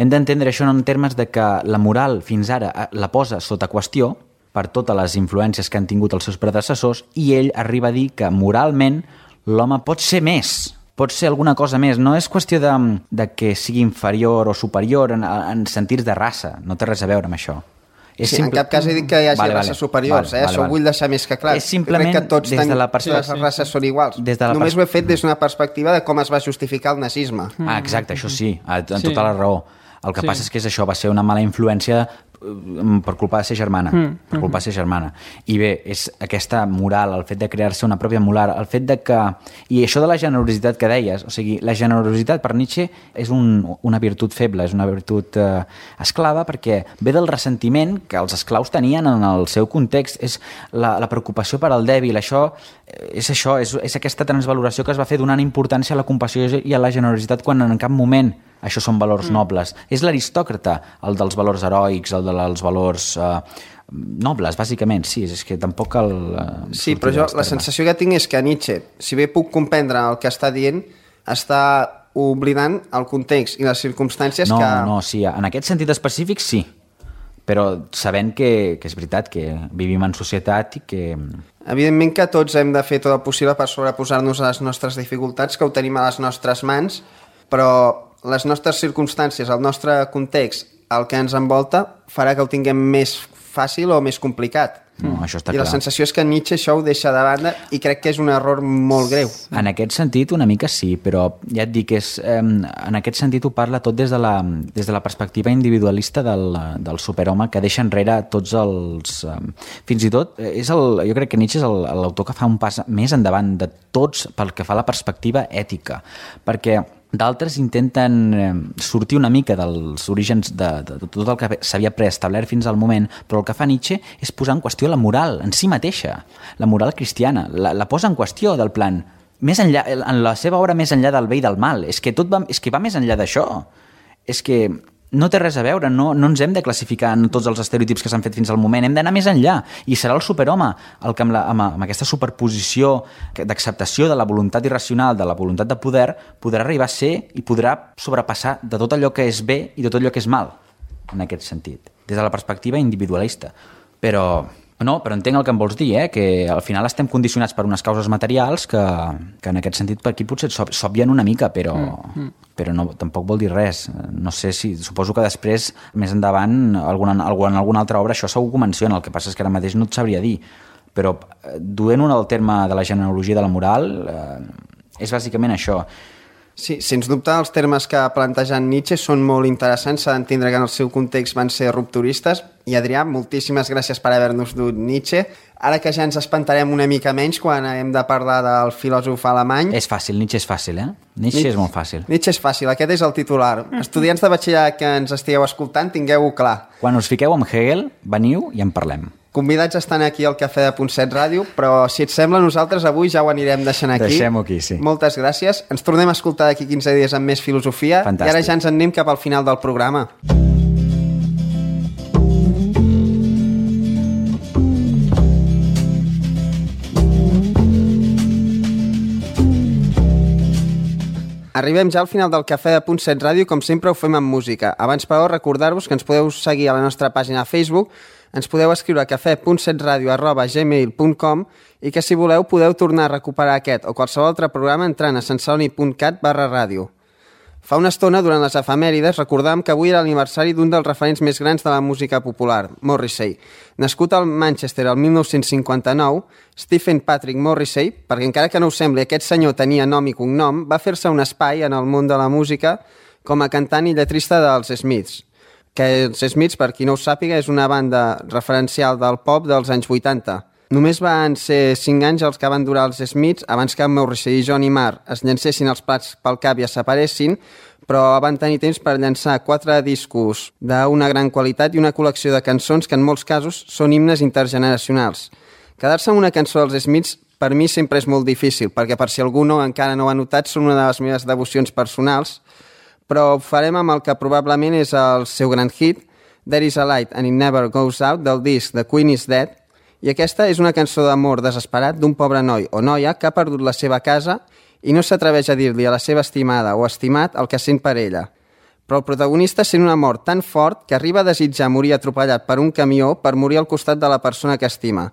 Hem d'entendre això en termes de que la moral fins ara la posa sota qüestió per totes les influències que han tingut els seus predecessors, i ell arriba a dir que moralment l'home pot ser més, pot ser alguna cosa més. No és qüestió de que sigui inferior o superior en sentits de raça, no té res a veure amb això. Sí, en cap cas he dit que hi hagi races superiors, això ho vull deixar més que clar. És simplement crec que tots des de la les races són iguals. Només ho he fet des d'una perspectiva de com es va justificar el nazisme. Exacte, això sí, amb tota la raó. El que passa és que això va ser una mala influència per culpa de ser germana. Per culpa de ser germana. I bé, és aquesta moral, el fet de crear-se una pròpia moral, el fet de que... I això de la generositat que deies, o sigui, la generositat per Nietzsche és una virtut feble, és una virtut esclava, perquè ve del ressentiment que els esclaus tenien en el seu context, és la preocupació per al dèbil, és aquesta transvaloració que es va fer donant importància a la compassió i a la generositat quan en cap moment això són valors nobles. És l'aristòcrata, el dels valors heroics, el dels valors nobles, bàsicament, sí, és que tampoc cal... Sí, però jo la sensació que tinc és que Nietzsche, si bé puc comprendre el que està dient, està oblidant el context i les circumstàncies que... No, sí, en aquest sentit específic sí, però sabent que és veritat que vivim en societat i que... Evidentment que tots hem de fer tot el possible per sobreposar-nos a les nostres dificultats, que ho tenim a les nostres mans, però les nostres circumstàncies, el nostre context, el que ens envolta, farà que ho tinguem més fàcil o més complicat. No, això està I clar. la sensació és que Nietzsche això ho deixa de banda i crec que és un error molt greu. En aquest sentit, una mica sí, però ja et dic, en aquest sentit ho parla tot des de la perspectiva individualista del superhome que deixa enrere tots els... fins i tot, jo crec que Nietzsche és l'autor que fa un pas més endavant de tots pel que fa a la perspectiva ètica, perquè d'altres intenten sortir una mica dels orígens de tot el que s'havia preestablert fins al moment, però el que fa Nietzsche és posar en qüestió la moral en si mateixa, la moral cristiana, la posa en qüestió del plan, més enllà, en la seva obra més enllà del bé i del mal, és que va més enllà d'això, és que no té res a veure, no ens hem de classificar en tots els estereotips que s'han fet fins al moment, hem d'anar més enllà, i serà el superhome el que amb aquesta superposició d'acceptació de la voluntat irracional, de la voluntat de poder, podrà arribar a ser i podrà sobrepassar de tot allò que és bé i de tot allò que és mal, en aquest sentit, des de la perspectiva individualista. Però entenc el que em vols dir, que al final estem condicionats per unes causes materials que en aquest sentit per aquí potser s'obvien una mica, però no, tampoc vol dir res. No sé si... Suposo que després, més endavant, en alguna altra obra això segur que ho menciona, el que passa és que ara mateix no et sabria dir. Però duent el terme de la genealogia de la moral, és bàsicament això. Sí, sens dubte els termes que ha plantejat Nietzsche són molt interessants, s'ha d'entendre que en el seu context van ser rupturistes. I Adrià, moltíssimes gràcies per haver-nos dut Nietzsche. Ara que ja ens espantarem una mica menys quan hem de parlar del filòsof alemany... És fàcil, Nietzsche és fàcil, Nietzsche és molt fàcil. Nietzsche és fàcil, aquest és el titular. Estudiants de batxillerat que ens estigueu escoltant, tingueu-ho clar. Quan us fiqueu amb Hegel, veniu i en parlem. Convidats estan aquí al Cafè de Punt 7 Ràdio, però si et sembla, nosaltres avui ja ho anirem deixant aquí. Deixem-ho aquí, sí. Moltes gràcies. Ens tornem a escoltar d'aquí 15 dies amb més filosofia. Fantàstic. I ara ja ens en anem cap al final del programa. Arribem ja al final del Cafè de Punt 7 Ràdio, com sempre ho fem amb música. Abans, però, recordar-vos que ens podeu seguir a la nostra pàgina de Facebook, ens podeu escriure a cafè.setradio@gmail.com i que, si voleu, podeu tornar a recuperar aquest o qualsevol altre programa entrant a santceloni.cat/ràdio. Fa una estona, durant les efemèrides, recordàvem que avui era l'aniversari d'un dels referents més grans de la música popular, Morrissey. Nascut al Manchester el 1959, Stephen Patrick Morrissey, perquè encara que no us sembli, aquest senyor tenia nom i cognom, va fer-se un espai en el món de la música com a cantant i lletrista dels Smiths. Que els Smiths, per qui no ho sàpiga, és una banda referencial del pop dels anys 80. Només van ser 5 anys els que van durar els Smiths abans que Morrissey i Johnny Marr es llancessin els plats pel cap i es separessin, però van tenir temps per llançar 4 discos d'una gran qualitat i una col·lecció de cançons que en molts casos són himnes intergeneracionals. Quedar-se amb una cançó dels Smiths per mi sempre és molt difícil, perquè per si algú encara no ho ha notat, són una de les meves devocions personals, però ho farem amb el que probablement és el seu gran hit, There is a Light and It Never Goes Out, del disc The Queen is Dead, i aquesta és una cançó d'amor desesperat d'un pobre noi o noia que ha perdut la seva casa i no s'atreveix a dir-li a la seva estimada o estimat el que sent per ella. Però el protagonista sent un amor tan fort que arriba a desitjar morir atropellat per un camió per morir al costat de la persona que estima.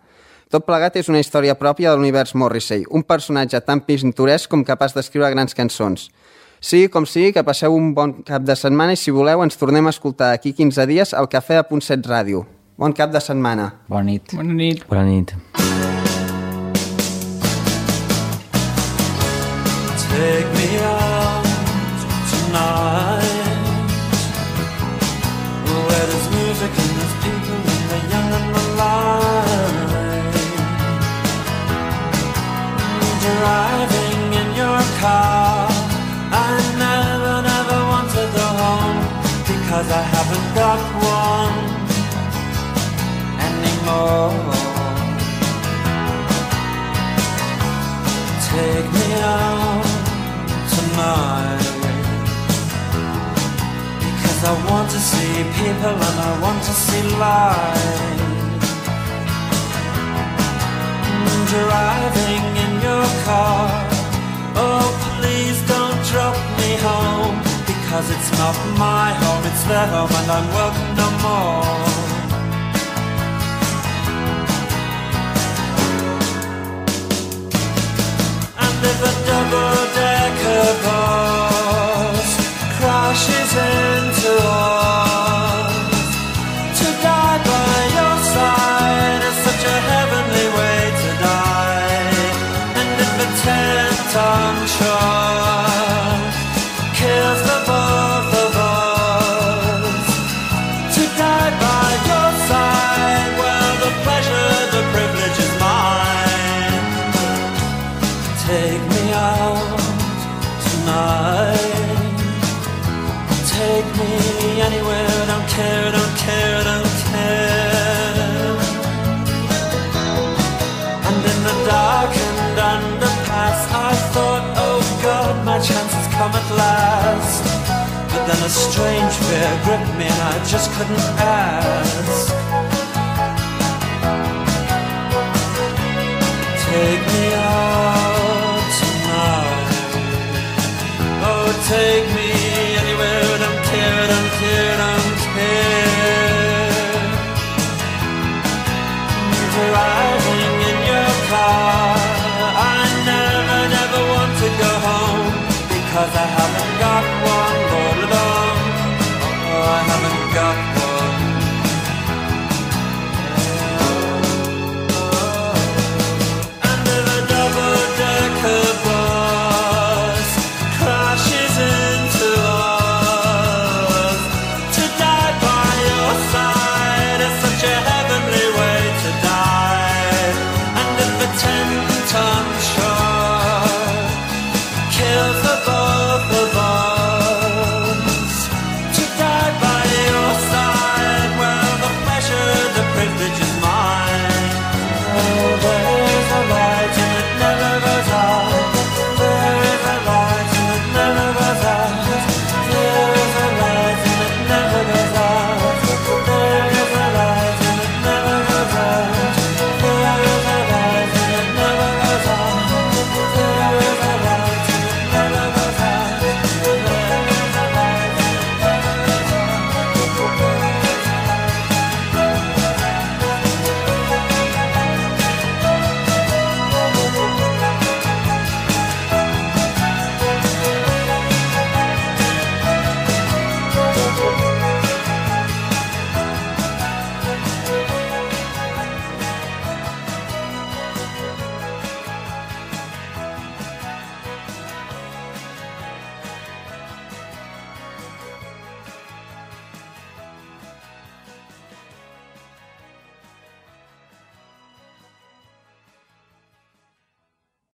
Tot plegat és una història pròpia de l'univers Morrissey, un personatge tan pintoresc com capaç d'escriure grans cançons. Sigui com sigui, que passeu un bon cap de setmana i, si voleu, ens tornem a escoltar d'aquí 15 dies al Cafè de Punt 7 Ràdio. Bon cap de setmana. Bona nit. Bona nit. Bona nit. Take me out tonight, where there's music in this car. I never want to go home because I haven't got one anymore. Take me out tonight because I want to see people and I want to see light. Driving in your car, oh please don't drop me home because it's not my home, it's their home and I'm welcome no more. And if a double-decker bus crashes into us, to die by your side is such a heavenly way to die. And if a 10-ton truck kills the both of us, to die by your side, well the pleasure, the privilege is mine. Take me out tonight, take me anywhere, don't care, don't care, don't care. And in the darkened underpass I thought, oh God, my chance has come at last. But then a strange fear gripped me and I just couldn't ask. Take me out tonight, oh take me anywhere, don't care, don't care, don't care. Driving in your car, I never want to go home because I haven't got one